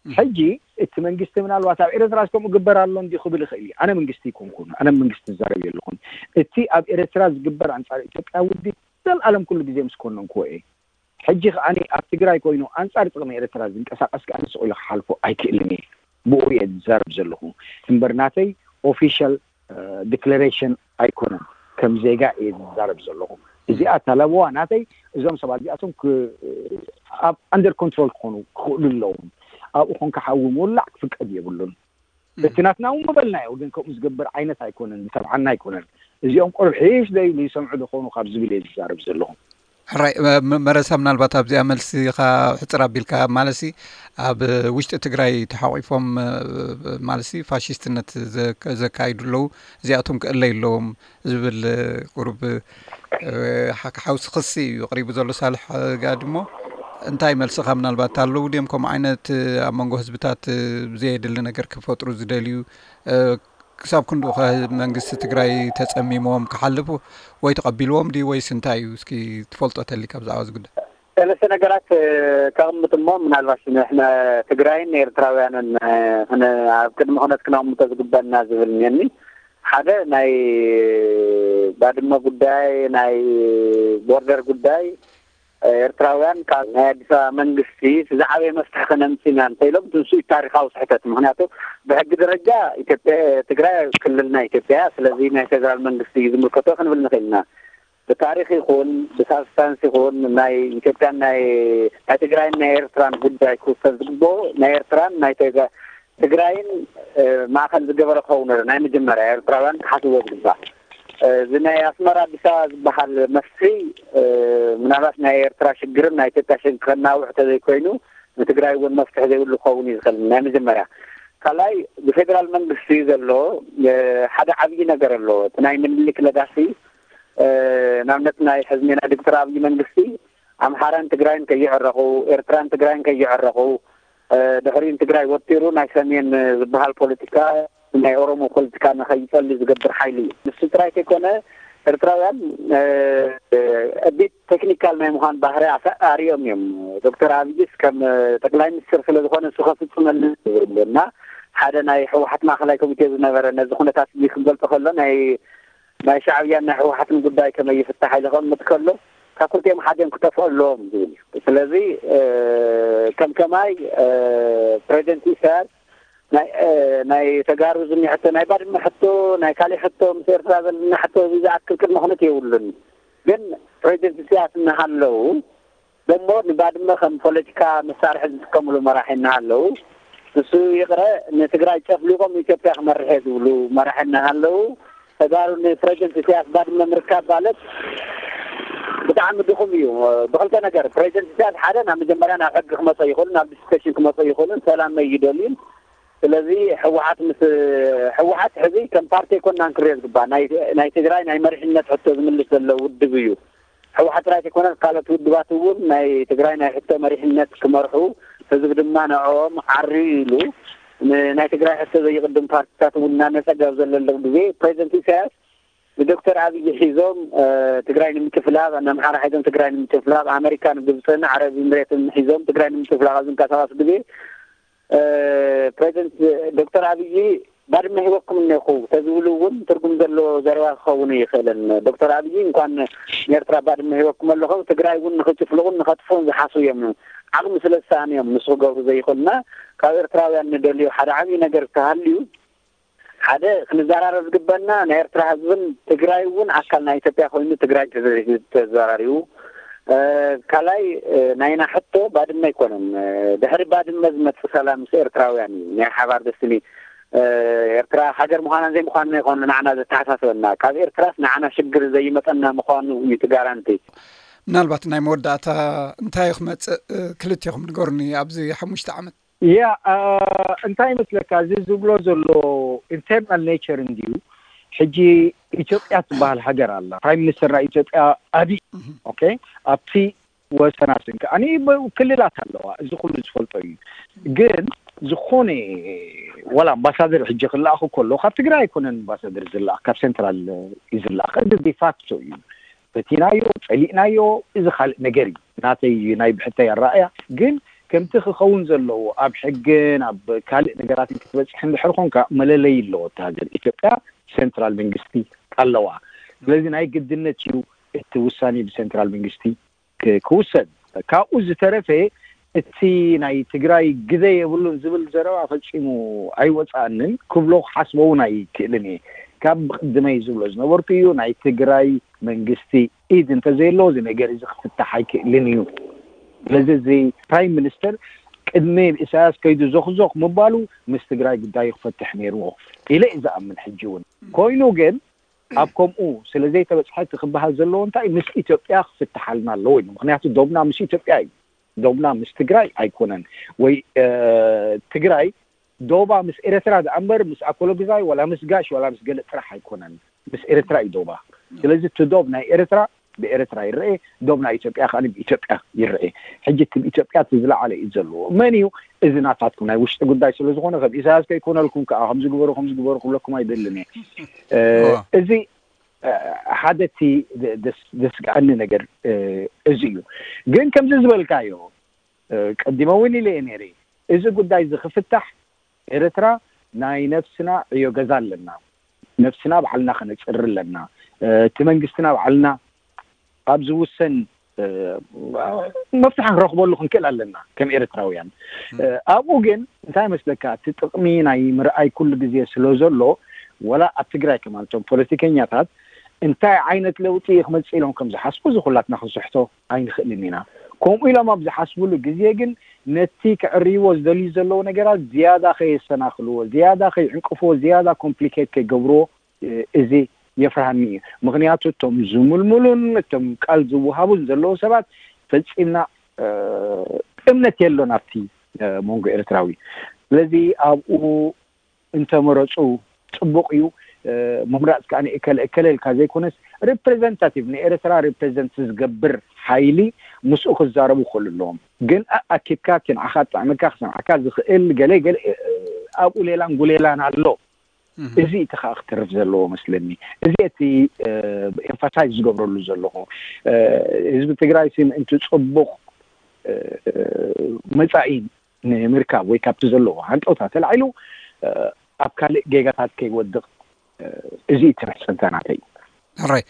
ሕጂ እቲ መንግስቲ ምናልባት ኣብ ኤርትራ ከምኡ ግበር ኣሎ እንዲ ክብል ይኽእል እዩ። ኣነ መንግስቲ ይኮንኩን፣ ኣነ መንግስቲ ዝዛረብ የለኹን። እቲ ኣብ ኤርትራ ዝግበር ኣንጻር ኢትዮጵያ ውዲ ዘልኣለም ኩሉ ግዜ ምስ ኮነንክዎ እየ። ሕጂ ከዓኒ ኣብ ትግራይ ኮይኑ ኣንጻር ጥቕሚ ኤርትራ ዝንቀሳቀስ ከዓኒ ስቕ ኢሉ ክሓልፎ ኣይክእልን እየ። ብኡ እየ ዝዛረብ ዘለኹ እምበር ናተይ ኦፊሻል ዲክለሬሽን ኣይኮነን። ከም ዜጋ እየ ዝዛረብ ዘለኹ። እዚኣ እታ ለበዋ ናተይ። እዞም ሰባት እዚኣቶም ኣብ ኣንደር ኮንትሮል ክኾኑ ክኽእሉ ኣለዎም። ኣብኡ ኮንካ ሓዊ ምውላዕ ክፍቀድ የብሉን። እቲ ናትና እውን ምበልናዮ፣ ግን ከምኡ ዝገብር ዓይነት ኣይኮነን፣ ዝሰምዓና ኣይኮነን። እዚኦም ቆልሒሽ ዘይብሉ ይሰምዑ ዶ ኾኑ ካብ ዝብል እየ ዝዛረብ ዘለኹ። ሕራይ። መረሳ፣ ምናልባት ኣብዚኣ መልሲ ኻ ሕፅር ኣቢልካ፣ ማለት ኣብ ውሽጢ ትግራይ ተሓቂፎም፣ ማለት ፋሽስትነት ዘካይዱ ኣለዉ፣ እዚኣቶም ክእለዩ ኣለዎም ዝብል ቁሩብ ሓውሲ ክሲ እዩ ቅሪቡ ዘሎ ሳልሕ ጋድሞ። እንታይ መልስኻ ምናልባት ኣለዉ ድም ከምኡ ዓይነት ኣብ መንጎ ህዝብታት ብዘየድሊ ነገር ክፈጥሩ ዝደልዩ? ክሳብ ክንድኡ ከ መንግስቲ ትግራይ ተፀሚሞም ክሓልፉ ወይ ተቐቢልዎም ድዩ ወይስ እንታይ እዩ? እስኪ ትፈልጦ ተሊካ ብዛዕባ እዚ ጉዳይ። ሰለስተ ነገራት ከቕምጥ እሞ ምናልባት ንሕና ትግራይን ኤርትራውያንን ኣብ ቅድሚ ኩነት ክነቕምጦ ዝግበና ዝብል እኒአኒ። ሓደ ናይ ባድመ ጉዳይ፣ ናይ ቦርደር ጉዳይ፣ ኤርትራውያን ካብ ናይ ኣዲስ ኣበባ መንግስቲ ዝዓበየ መፍትሒ ከነምፅእ ኢና እንተኢሎም፣ ንሱ እዩ ታሪካዊ ስሕተት። ምክንያቱ ብሕጊ ደረጃ ኢትዮጵያ፣ ትግራይ ክልል ናይ ኢትዮጵያ እያ። ስለዚ ናይ ፌደራል መንግስቲ እዩ ዝምልከቶ ክንብል ንኽእል ኢና። ብታሪክ ይኹን ብሳብስታንስ ይኹን ናይ ኢትዮጵያን ናይ ናይ ትግራይን ናይ ኤርትራን ጉዳይ ክውሰን ዝግብኦ ናይ ኤርትራን ናይ ትግራይን ማእኸል ዝገበረ ክኸውን ናይ መጀመርያ ኤርትራውያን ክሓስብዎ ዝግባእ። እዚ ናይ ኣስመራ ኣዲስ ኣበባ ዝበሃል መፍትሒ ምናልባት ናይ ኤርትራ ሽግርን ናይ ኢትዮጵያ ሽግር ከናውሕ ተዘይኮይኑ ንትግራይ እውን መፍትሒ ዘይብሉ ክኸውን እዩ ዝኽእል ናይ መጀመርያ። ካልኣይ ብፌደራል መንግስቲ ዘሎ ሓደ ዓብዪ ነገር ኣሎ። እቲ ናይ ምኒልክ ለጋሲ ንኣብነት ናይ ሕዝሜና ዶክተር ኣብይ መንግስቲ ኣምሓራን ትግራይን ከይዕረቑ፣ ኤርትራን ትግራይን ከይዕረቑ፣ ድሕሪኡ ንትግራይ ወጢሩ ናይ ሰሜን ዝበሃል ፖለቲካ ናይ ኦሮሞ ፖለቲካ ንኸይጸሊ ዝገብር ሓይሊ እዩ። ንሱ ጥራይ ከይኮነ ኤርትራውያን ቢት ቴክኒካል ናይ ምዃን ባህሪ ኣርዮም እዮም። ዶክተር ኣብይስ ከም ጠቅላይ ሚኒስትር ስለ ዝኾነ ንሱ ከፍጽመሉ ዝብል እና ሓደ ናይ ህወሓት ማእኸላይ ኮሚቴ ዝነበረ ነዚ ኩነታት እዚ ክገልጾ ከሎ ናይ ናይ ሻዕብያን ናይ ህወሓትን ጉዳይ ከመይ ይፍታሕ ኢሉ ከቕምጥ ከሎ ካብ ክልቲኦም ሓዲኦም ክጠፍኡ ኣለዎም ዝብል እዩ። ስለዚ ከም ከማይ ፕሬዚደንት ኢሳያስ ናይ ተጋሩ ዝኒ ሕቶ ናይ ባድመ ሕቶ ናይ ካሊእ ሕቶ ምስ ኤርትራ ዘለና ሕቶ እዚ ዝኣክል ቅድመ ኩነት የብሉን። ግን ፕሬዚደንት ኢሳያስ እናሃለዉ ደሞ ንባድመ ከም ፖለቲካ መሳርሒ ዝጥቀምሉ መራሒ እናሃለዉ ንሱ ይቕረ ንትግራይ ጨፍሊቖም ኢትዮጵያ ክመርሕ እየ ዝብሉ መራሒ እናሃለዉ ተጋሩ ንፕሬዚደንት ኢሳያስ ባድመ ምርካብ ማለት ብጣዕሚ ድኹም እዩ። ብክልተ ነገር ፕሬዚደንት ኢሳያስ ሓደ ናብ መጀመርያ ናብ ሕጊ ክመፀ ይኽእሉ ናብ ዲስከሽን ክመፀ ይኽእሉ ሰላም መይ ይደልዩን ስለዚ ህወሓት ምስ ህወሓት ሕዚ ከም ፓርቲ ኣይኮናን ክሪኦ ዝግባእ ናይ ትግራይ ናይ መሪሕነት ሕቶ ዝምልስ ዘሎ ውድብ እዩ። ህወሓት ጥራይ ዘይኮነ ካልኦት ውድባት እውን ናይ ትግራይ ናይ ሕቶ መሪሕነት ክመርሑ ህዝቢ ድማ ንዕኦም ዓርዩ ኢሉ ናይ ትግራይ ሕቶ ዘይቕድም ፓርቲታት እውን እናነፀገ ኣብ ዘለሎም ግዜ ፕሬዚደንት ኢሳያስ ንዶክተር ኣብይ ሒዞም ትግራይ ንምጭፍላቕ ንኣምሓራ ሒዞም ትግራይ ንምጭፍላቕ ኣመሪካን ግብፅን ዓረብ ኢምሬትን ሒዞም ትግራይ ንምጭፍላቕ ኣብ ዝንቀሳቐሱ ግዜ ፕሬዚደንት ዶክተር ኣብይ ባድመ ሂበኩም እኒኹ ተዝብሉ እውን ትርጉም ዘለዎ ዘረባ ክኸውን ይኽእልን። ዶክተር ኣብይ እንኳን ንኤርትራ ባድመ ሂበኩም ኣለኹም ትግራይ እውን ንኽጭፍልቑን ንኸጥፍኡን ዝሓስቡ እዮም። ዓቕሚ ስለ ዝሰኣኑ እዮም ንሱ ክገብሩ ዘይኽእሉና። ካብ ኤርትራውያን ንደልዮ ሓደ ዓብዪ ነገር ተሃልዩ ሓደ ክንዘራረብ ዝግበና ናይ ኤርትራ ህዝብን ትግራይ እውን ኣካል ናይ ኢትዮጵያ ኮይኑ ትግራይ ተዘራሪቡ ካልኣይ ናይና ሕቶ ባድመ ኣይኮነን። ድሕሪ ባድመ ዝመፅእ ሰላም ምስ ኤርትራውያን እዩ ናይ ሓባር ደስትኒ ኤርትራ ሃገር ምዃናን ዘይምዃንን ኣይኮነ ንዓና ዘተሓሳስበና ካብ ኤርትራስ ንዓና ሽግር ዘይመፀና ምዃኑ እዩ እቲ ጋራንቲ። ምናልባት ናይ መወዳእታ እንታይ ክመፅእ ክልቴኹም ንገሩኒ ኣብዚ ሓሙሽተ ዓመት? ያ እንታይ ይመስለካ እዚ ዝብሎ ዘሎ ኢንተርናል ኔቸር እንድዩ። ሕጂ ኢትዮጵያ ትበሃል ሃገር ኣላ። ፕራይም ሚኒስተር ናይ ኢትዮጵያ ኣብይ ኦኬ ኣብቲ ወሰናስን ከዓኒ ክልላት ኣለዋ። እዚ ኩሉ ዝፈልጦ እዩ። ግን ዝኾነ ዋላ ኣምባሳደር ሕጂ ክለኣኽ ከሎ ካብ ትግራይ ኣይኮነን ኣምባሳደር ዝለኣኽ ካብ ሴንትራል እዩ ዝለኣኽ። እዚ ዲፋክቶ እዩ። ፈቲናዮ፣ ጸሊእናዮ፣ እዚ ካልእ ነገር እዩ። ናተይ ናይ ብሕተይ ኣረኣእያ ግን ከምቲ ክኸውን ዘለዎ ኣብ ሕግን ኣብ ካልእ ነገራትን ክትበጽሕ እንድሕር ኮንካ መለለይ ኣለዎ። እታ ሃገር ኢትዮጵያ ሴንትራል መንግስቲ ኣለዋ። ስለዚ ናይ ግድነት እዩ እቲ ውሳኔ ብሴንትራል መንግስቲ ክውሰን። ካብኡ ዝተረፈ እቲ ናይ ትግራይ ግደ የብሉን ዝብል ዘረባ ፈጺሙ ኣይወፅኣንን። ክብሎ ክሓስቦ እውን ኣይክእልን እየ። ካብ ብቕድመይ ዝብሎ ዝነበርኩ እዩ ናይ ትግራይ መንግስቲ ኢድ እንተዘየለዎ እዚ ነገር እዚ ክፍታሕ ኣይክእልን እዩ። ስለዚ እዚ ፕራይም ሚኒስተር ቅድሚ ኢሳያስ ከይዱ ዞኽዞኽ ምባሉ ምስ ትግራይ ጉዳይ ክፈትሕ ነይርዎ ኢለ እዩ ዝኣምን። ሕጂ እውን ኮይኑ ግን ኣብ ከምኡ ስለ ዘይተበፅሐ እቲ ክበሃል ዘለዎ እንታይ ምስ ኢትዮጵያ ክፍትሓልና ኣለዎ እዩ። ምክንያቱ ዶብና ምስ ኢትዮጵያ እዩ፣ ዶብና ምስ ትግራይ ኣይኮነን። ወይ ትግራይ ዶባ ምስ ኤረትራ ደኣ እምበር ምስ ኣኮሎግዛይ ዋላ ምስ ጋሽ ዋላ ምስ ገለ ጥራሕ ኣይኮነን፣ ምስ ኤረትራ እዩ ዶባ። ስለዚ እቲ ዶብ ናይ ኤረትራ ብኤረትራ ይረኤ፣ ዶብ ናይ ኢትዮጵያ ከኣ ብኢትዮጵያ ይረኤ። ሕጂ እቲ ብኢትዮጵያ እቲ ዝለዓለ እዩ ዘለዎ። መን እዩ እዚ ናታትኩም ናይ ውሽጢ ጉዳይ ስለ ዝኾነ ከም ኢሳያስ ከይኮነልኩም ከኣ ከምዚ ግበሩ ከምዚ ግበሩ ክብለኩም ኣይደልን እየ። እዚ ሓደ እቲ ዘስግኣኒ ነገር እዚ እዩ። ግን ከምዚ ዝበልካዮ ቀዲመ እውን ኢለ እየ ነይረ፣ እዚ ጉዳይ እዚ ክፍታሕ ኤርትራ ናይ ነፍስና ዕዮ ገዛ ኣለና። ነፍስና ባዕልና ከነፅሪ ኣለና። እቲ መንግስትና ባዕልና ኣብ ዝውሰን መፍትሒ ክንረኽበሉ ክንክእል ኣለና ከም ኤርትራውያን። ኣብኡ ግን እንታይ መስለካ፣ እቲ ጥቕሚ ናይ ምርኣይ ኩሉ ግዜ ስለ ዘሎ፣ ወላ ኣብ ትግራይ ከማን እቶም ፖለቲከኛታት እንታይ ዓይነት ለውጢ ክመፅእ ኢሎም ከም ዝሓስቡ እዚ ኩላትና ክንስሕቶ ኣይንኽእልን ኢና። ከምኡ ኢሎም ኣብ ዝሓስብሉ ግዜ ግን ነቲ ክዕርይዎ ዝደልዩ ዘለዉ ነገራት ዝያዳ ከየሰናኽልዎ፣ ዝያዳ ከይዕንቅፍዎ፣ ዝያዳ ኮምፕሊኬት ከይገብርዎ እዚ የፍርሃኒ እዩ። ምክንያቱ እቶም ዝምልምሉን እቶም ቃል ዝወሃቡን ዘለዉ ሰባት ፈጺምና እምነት የሎን ኣብቲ መንጎ ኤርትራዊ። ስለዚ ኣብኡ እንተመረፁ ፅቡቕ እዩ። ምምራፅ ከዓ ንእከለ እከለ ኢልካ ዘይኮነስ ሪፕሬዘንታቲቭ ንኤርትራ ሪፕሬዘንት ዝገብር ሓይሊ ምስኡ ክዛረቡ ክኽእሉ ኣለዎም። ግን ኣኪብካ እቲ ንዓኻ ጥዕመካ ክሰምዓካ ዝኽእል ገለ ገለ ኣብኡ ሌላን ጉሌላን ኣሎ። እዚ እቲ ከዓ ክትርፍ ዘለዎ መስለኒ። እዚ እቲ ኤምፋሳይዝ ዝገብረሉ ዘለኹ። ህዝቢ ትግራይ ሲ ምእንቲ ፅቡቕ መፃኢ ንምርካብ ወይ ካብቲ ዘለዎ ሃንቀውታ ተላዒሉ ኣብ ካልእ ጌጋታት ከይወድቕ እዚ እቲ መሕፅንታ ናተይ። ሕራይ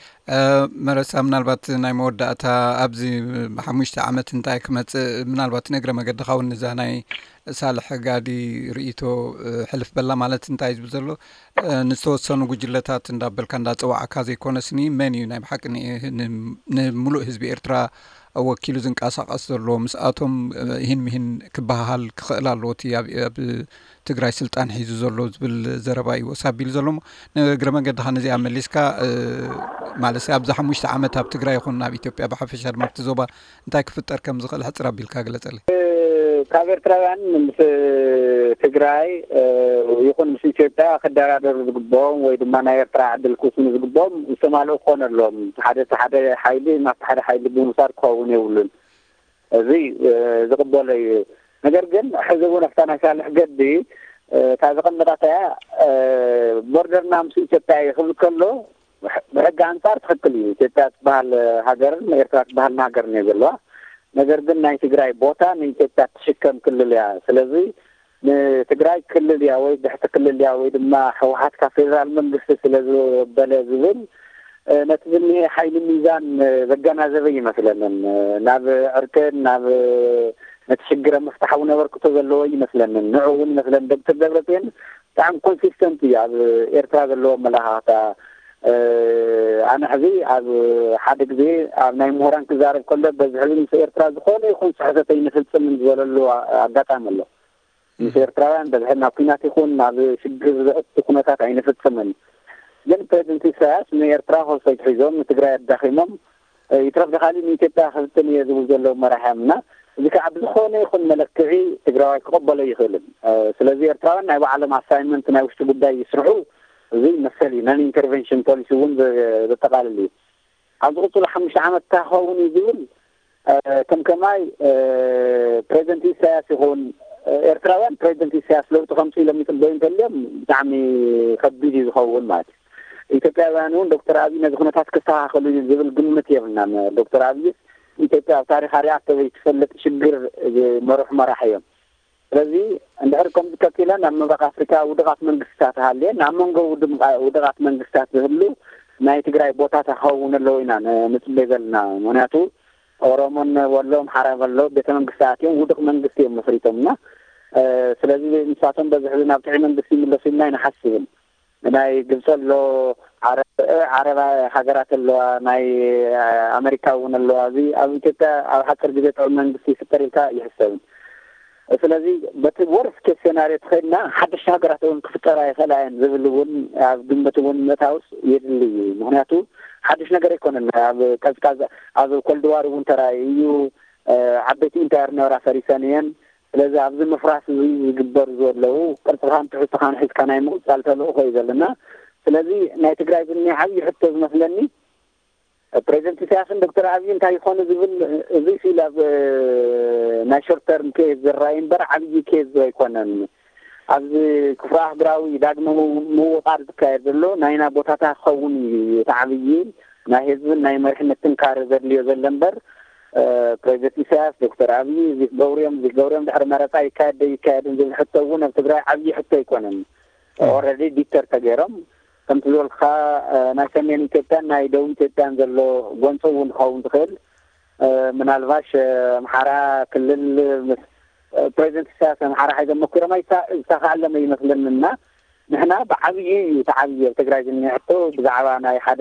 መረሳ፣ ምናልባት ናይ መወዳእታ ኣብዚ ሓሙሽተ ዓመት እንታይ ክመፅእ፣ ምናልባት ነግረ መገድኻ እውን ንዛ ናይ ሳልሕ ጋዲ ርእይቶ ሕልፍ በላ ማለት እንታይ ዝብል ዘሎ ንዝተወሰኑ ጉጅለታት እንዳበልካ እንዳፀዋዕካ ዘይኮነስኒ መን እዩ ናይ ብሓቂ ንምሉእ ህዝቢ ኤርትራ ወኪሉ ዝንቀሳቐስ ዘሎ ምስኣቶም ይህን ምሂን ክበሃል ክኽእል ኣለዎ እቲ ኣብ ትግራይ ስልጣን ሒዙ ዘሎ ዝብል ዘረባ እዩ ወሳቢሉ ዘሎ። ንእግረ መንገድኻ ነዚኣ መሊስካ ማለት ኣብዚ ሓሙሽተ ዓመት ኣብ ትግራይ ይኹን ኣብ ኢትዮጵያ ብሓፈሻ ድማ ኣብቲ ዞባ እንታይ ክፍጠር ከም ዝኽእል ሕፅር ኣቢልካ ግለፀለይ። ካብ ኤርትራውያን ምስ ትግራይ ይኹን ምስ ኢትዮጵያ ክደራደሩ ዝግብኦም ወይ ድማ ናይ ኤርትራ ዕድል ክውስኑ ዝግብኦም ዝተማልኡ ክኾኑ ኣለዎም። ሓደ ሓደ ሓይሊ ናብቲ ሓደ ሓይሊ ብምውሳድ ክኸውን የብሉን። እዚ ዝቕበሎ እዩ። ነገር ግን ሕዚ እውን ኣብታ ናይ ሳልሕ ገዲ እታ ዘቐመጣታ እያ። ቦርደርና ምስ ኢትዮጵያ እዩ ክብል ከሎ ብሕጊ ኣንፃር ትኽክል እዩ። ኢትዮጵያ ትበሃል ሃገርን ኤርትራ ትበሃል ሃገርን እየ ዘለዋ። ነገር ግን ናይ ትግራይ ቦታ ንኢትዮጵያ ትሽከም ክልል እያ። ስለዚ ንትግራይ ክልል እያ ወይ ብሕቲ ክልል እያ ወይ ድማ ህወሓት ካብ ፌደራል መንግስቲ ስለ ዝበለ ዝብል ነቲ ዝኒሀ ሓይሊ ሚዛን ዘገናዘበ ይመስለንን ናብ ዕርቅን ናብ ነቲ ሽግረ ምፍታሕ እውን ኣበርክቶ ዘለዎ ይመስለንን። ንዑ እውን ይመስለን ዶክተር ደብረፅዮን ብጣዕሚ ኮንሲስተንት እዩ ኣብ ኤርትራ ዘለዎ ኣመለኻኽታ። ኣነ ሕዚ ኣብ ሓደ ግዜ ኣብ ናይ ምሁራን ክዛረብ ከሎ በዚ ሕዚ ምስ ኤርትራ ዝኾነ ይኹን ስሕተት ኣይንፍፅምን ዝበለሉ ኣጋጣሚ ኣሎ። ምስ ኤርትራውያን በዝሒ ናብ ኲናት ይኹን ናብ ሽግር ዘእቱ ኩነታት ኣይንፍፅምን። ግን ፕሬዚደንት ኢሳያስ ንኤርትራ ኮልፈይት ሒዞም ንትግራይ ኣዳኺሞም ይትረፍ ደኻሊ ንኢትዮጵያ ክፍትን እየ ዝብል ዘለዉ መራሒ እዮም እና እዚ ከዓ ብዝኾነ ይኹን መለክዒ ትግራዋይ ክቕበሎ ይኽእልን። ስለዚ ኤርትራውያን ናይ ባዕሎም ኣሳይንመንት ናይ ውሽጢ ጉዳይ ይስርሑ። እዚ መሰል እዩ። ነን ኢንተርቨንሽን ፖሊሲ እውን ዘጠቓልል እዩ። ኣብ ዝቕፅሉ ሓሙሽተ ዓመት እንታይ ክኸውን እዩ ዝብል ከም ከማይ ፕሬዚደንት ኢሳያስ ይኹን ኤርትራውያን ፕሬዚደንት ኢሳያስ ለውጢ ከምፅእ ኢሎም ይፅበዩ እንተልዮም ብጣዕሚ ከቢድ እዩ ዝኸውን ማለት እዩ። ኢትዮጵያውያን እውን ዶክተር ኣብይ ነዚ ኩነታት ክስተኻኸሉ እዩ ዝብል ግምት የብልናን። ዶክተር ኣብይ ኢትዮጵያ ኣብ ታሪኻ ሪኣ ተዘይትፈልጥ ሽግር ዝመርሑ መራሒ እዮም። ስለዚ እንድሕር ከምዚ ቀፂለን ኣብ ምብራቕ ኣፍሪካ ውድቓት መንግስትታት ሃልየን ኣብ መንጎ ውድቓት መንግስትታት ዝህሉ ናይ ትግራይ ቦታታ ክኸውን ኣለዎ ኢና ንፅበይ ዘለና። ምክንያቱ ኦሮሞን ወሎ ኣምሓራ ከሎ ቤተ መንግስቲ ኣትዮም ውድቕ መንግስቲ እዮም መስሪቶም እና ስለዚ ንሳቶም በዚ ሕዚ ናብ ጥዑይ መንግስቲ ይምለሱ ኢልና ኣይንሓስብን። ናይ ግብፂ ኣሎ፣ ዓረብ ሃገራት ኣለዋ፣ ናይ ኣመሪካ እውን ኣለዋ። እዚ ኣብ ኢትዮጵያ ኣብ ሓፂር ግዜ ጥዑይ መንግስቲ ይፍጠር ኢልካ ኣይሕሰብን። ስለዚ በቲ ወርስ ኬስ ሴናርዮ ተኸድና ሓደሽቲ ሃገራት እውን ክፍጠራ ይኽእላ እየን ዝብል እውን ኣብ ግምት እውን ምእታውስ የድሊ እዩ። ምክንያቱ ሓድሽ ነገር ኣይኮነን። ኣብ ቀዝቃዝ ኣብ ኮልድዋር እውን ተራእዩ እዩ። ዓበይቲ ኢምፓየር ነበራ ፈሪሰን እየን። ስለዚ ኣብዚ ምፍራስ እዚ ዝግበር ዘለዉ ቅርፅኻን ትሕዝቶኻን ሒዝካ ናይ ምቕፃል ተልእኾ እዩ ዘለና። ስለዚ ናይ ትግራይ ዝኒ ዓብዪ ሕቶ ዝመስለኒ ፕሬዚደንት ኢሳያስን ዶክተር ኣብይ እንታይ ይኾኑ ዝብል እዚ ሲል ኣብ ናይ ሾርት ተርም ኬዝ ዝረኣይ እምበር ዓብዪ ኬዝ ኣይኮነን። ኣብዚ ክፍለ ኣህጉራዊ ዳግመ ምውቃር ዝካየድ ዘሎ ናይና ቦታታ ክኸውን እዩ። እቲ ዓብዪ ናይ ህዝብን ናይ መሪሕነትን ካር ዘድልዮ ዘሎ እምበር ፕሬዚደንት ኢሳያስ ዶክተር ኣብይ እዚ ክገብርዮም እዚ ክገብርዮም ድሕሪ መረፃ ይካየድ ዶ ይካየድን ዝብል ሕቶ እውን ኣብ ትግራይ ዓብዪ ሕቶ ኣይኮነን። ኦረዲ ዲተር ተገይሮም ከምቲ ዝበልካ ናይ ሰሜን ኢትዮጵያን ናይ ደቡብ ኢትዮጵያን ዘሎ ጎንፂ እውን ክኸውን ትኽእል። ምናልባሽ ኣምሓራ ክልል ምስ ፕሬዚደንት ኢሳያስ ኣምሓራ ሓይዞም መኩሮም ኣይተኻኣለመ ይመስለኒ እና ንሕና ብዓብዪ እዩ ተዓብዪ ኣብ ትግራይ ዝኒሀ ሕቶ ብዛዕባ ናይ ሓደ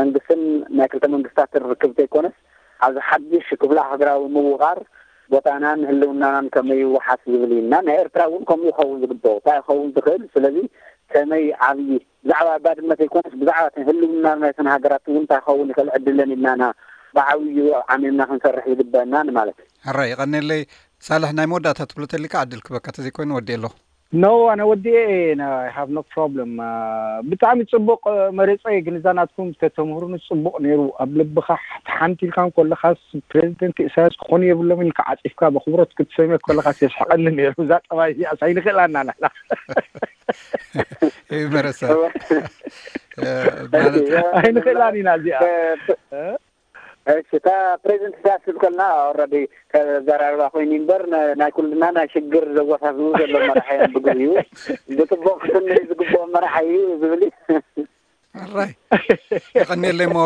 መንግስትን ናይ ክልተ መንግስታትን ርክብ ዘይኮነስ ኣብዚ ሓድሽ ክፍለ ሃገራዊ ምውቓር ቦታናን ህልውናናን ከመይ ይወሓስ ዝብል እዩ እና ናይ ኤርትራ እውን ከምኡ ይኸውን ዝግበኦ እንታይ ይኸውን ዝኽእል ስለዚ ከመይ ዓብዪ ብዛዕባ ባድመ ዘይኮነስ ብዛዕባ ህልውና ናይተን ሃገራት እውን እንታይ ክኸውን ይኽእል ዕድለን ኢልናና ብዓብዩ ዓሚምና ክንሰርሕ ዝግበአና ንማለት እዩ። ሕራይ ይቐኔለይ። ሳልሕ ናይ መወዳእታ ትብሎ ተሊካ ዕድል ክበካ ተዘይኮይኑ ወዲ ኣሎ። No ኣነ ወዲኤ have no problem። ብጣዕሚ ፅቡቅ መሪፀ ግን እዛ ናትኩም ተተምህሩኒ ፅቡቅ ነይሩ። ኣብ ልብካ ተሓንቲልካ እንከለካስ ፕሬዚደንት ኢሳያስ ክኾኑ የብሎም ኢልካ ዓፂፍካ በክብሮት ክትሰምዮ ከለካስ የስሕቀኒ ነይሩ። እዛ ጠባይ እዚኣስ ኣይንክእላና ናና ይመረሳ ማለት ኣይንክእላን ኢና እዚኣ። እሺ እታ ፕሬዚደንት ኢሳያስ ክብል ከለና ኦረዲ ከዘራርባ ኮይኑ እምበር ናይ ኩልና ናይ ሽግር ዘወሳስቡ ዘሎ መራሒ እዮም ብግዜኡ ብፅቡቅ ክትንርኢ ዝግብኦ መራሒ እዩ ዝብል እዩ። ኣራይ የቐኒየለይ እሞ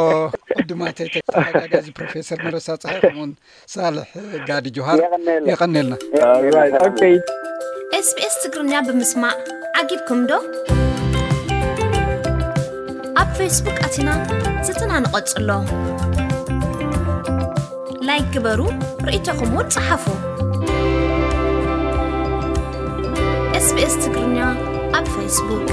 ዕድማተይ ተተሓጋጋዚ ፕሮፌሰር መረሳ ፀሓይ ከምኡውን ሳልሕ ጋዲ ጆሃር የቐኒየልና። ኤስቢኤስ ትግርኛ ብምስማዕ ዓጊብኩም ዶ? ኣብ ፌስቡክ ኣቲና ዝትና ንቐጽሎ። ላይክ ግበሩ፣ ርእይቶኹም እውን ጸሓፉ። SBS ትግርኛ ኣብ ፌስቡክ።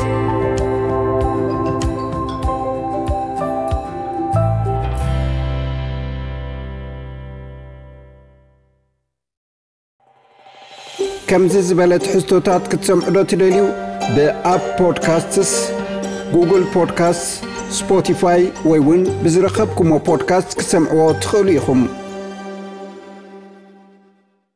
ከምዚ ዝበለ ትሕዝቶታት ክትሰምዑ ዶ ትደልዩ? ብኣፕ ፖድካስትስ፣ ጉግል ፖድካስትስ፣ ስፖቲፋይ ወይ እውን ብዝረኸብኩሞ ፖድካስት ክትሰምዕዎ ትኽእሉ ኢኹም።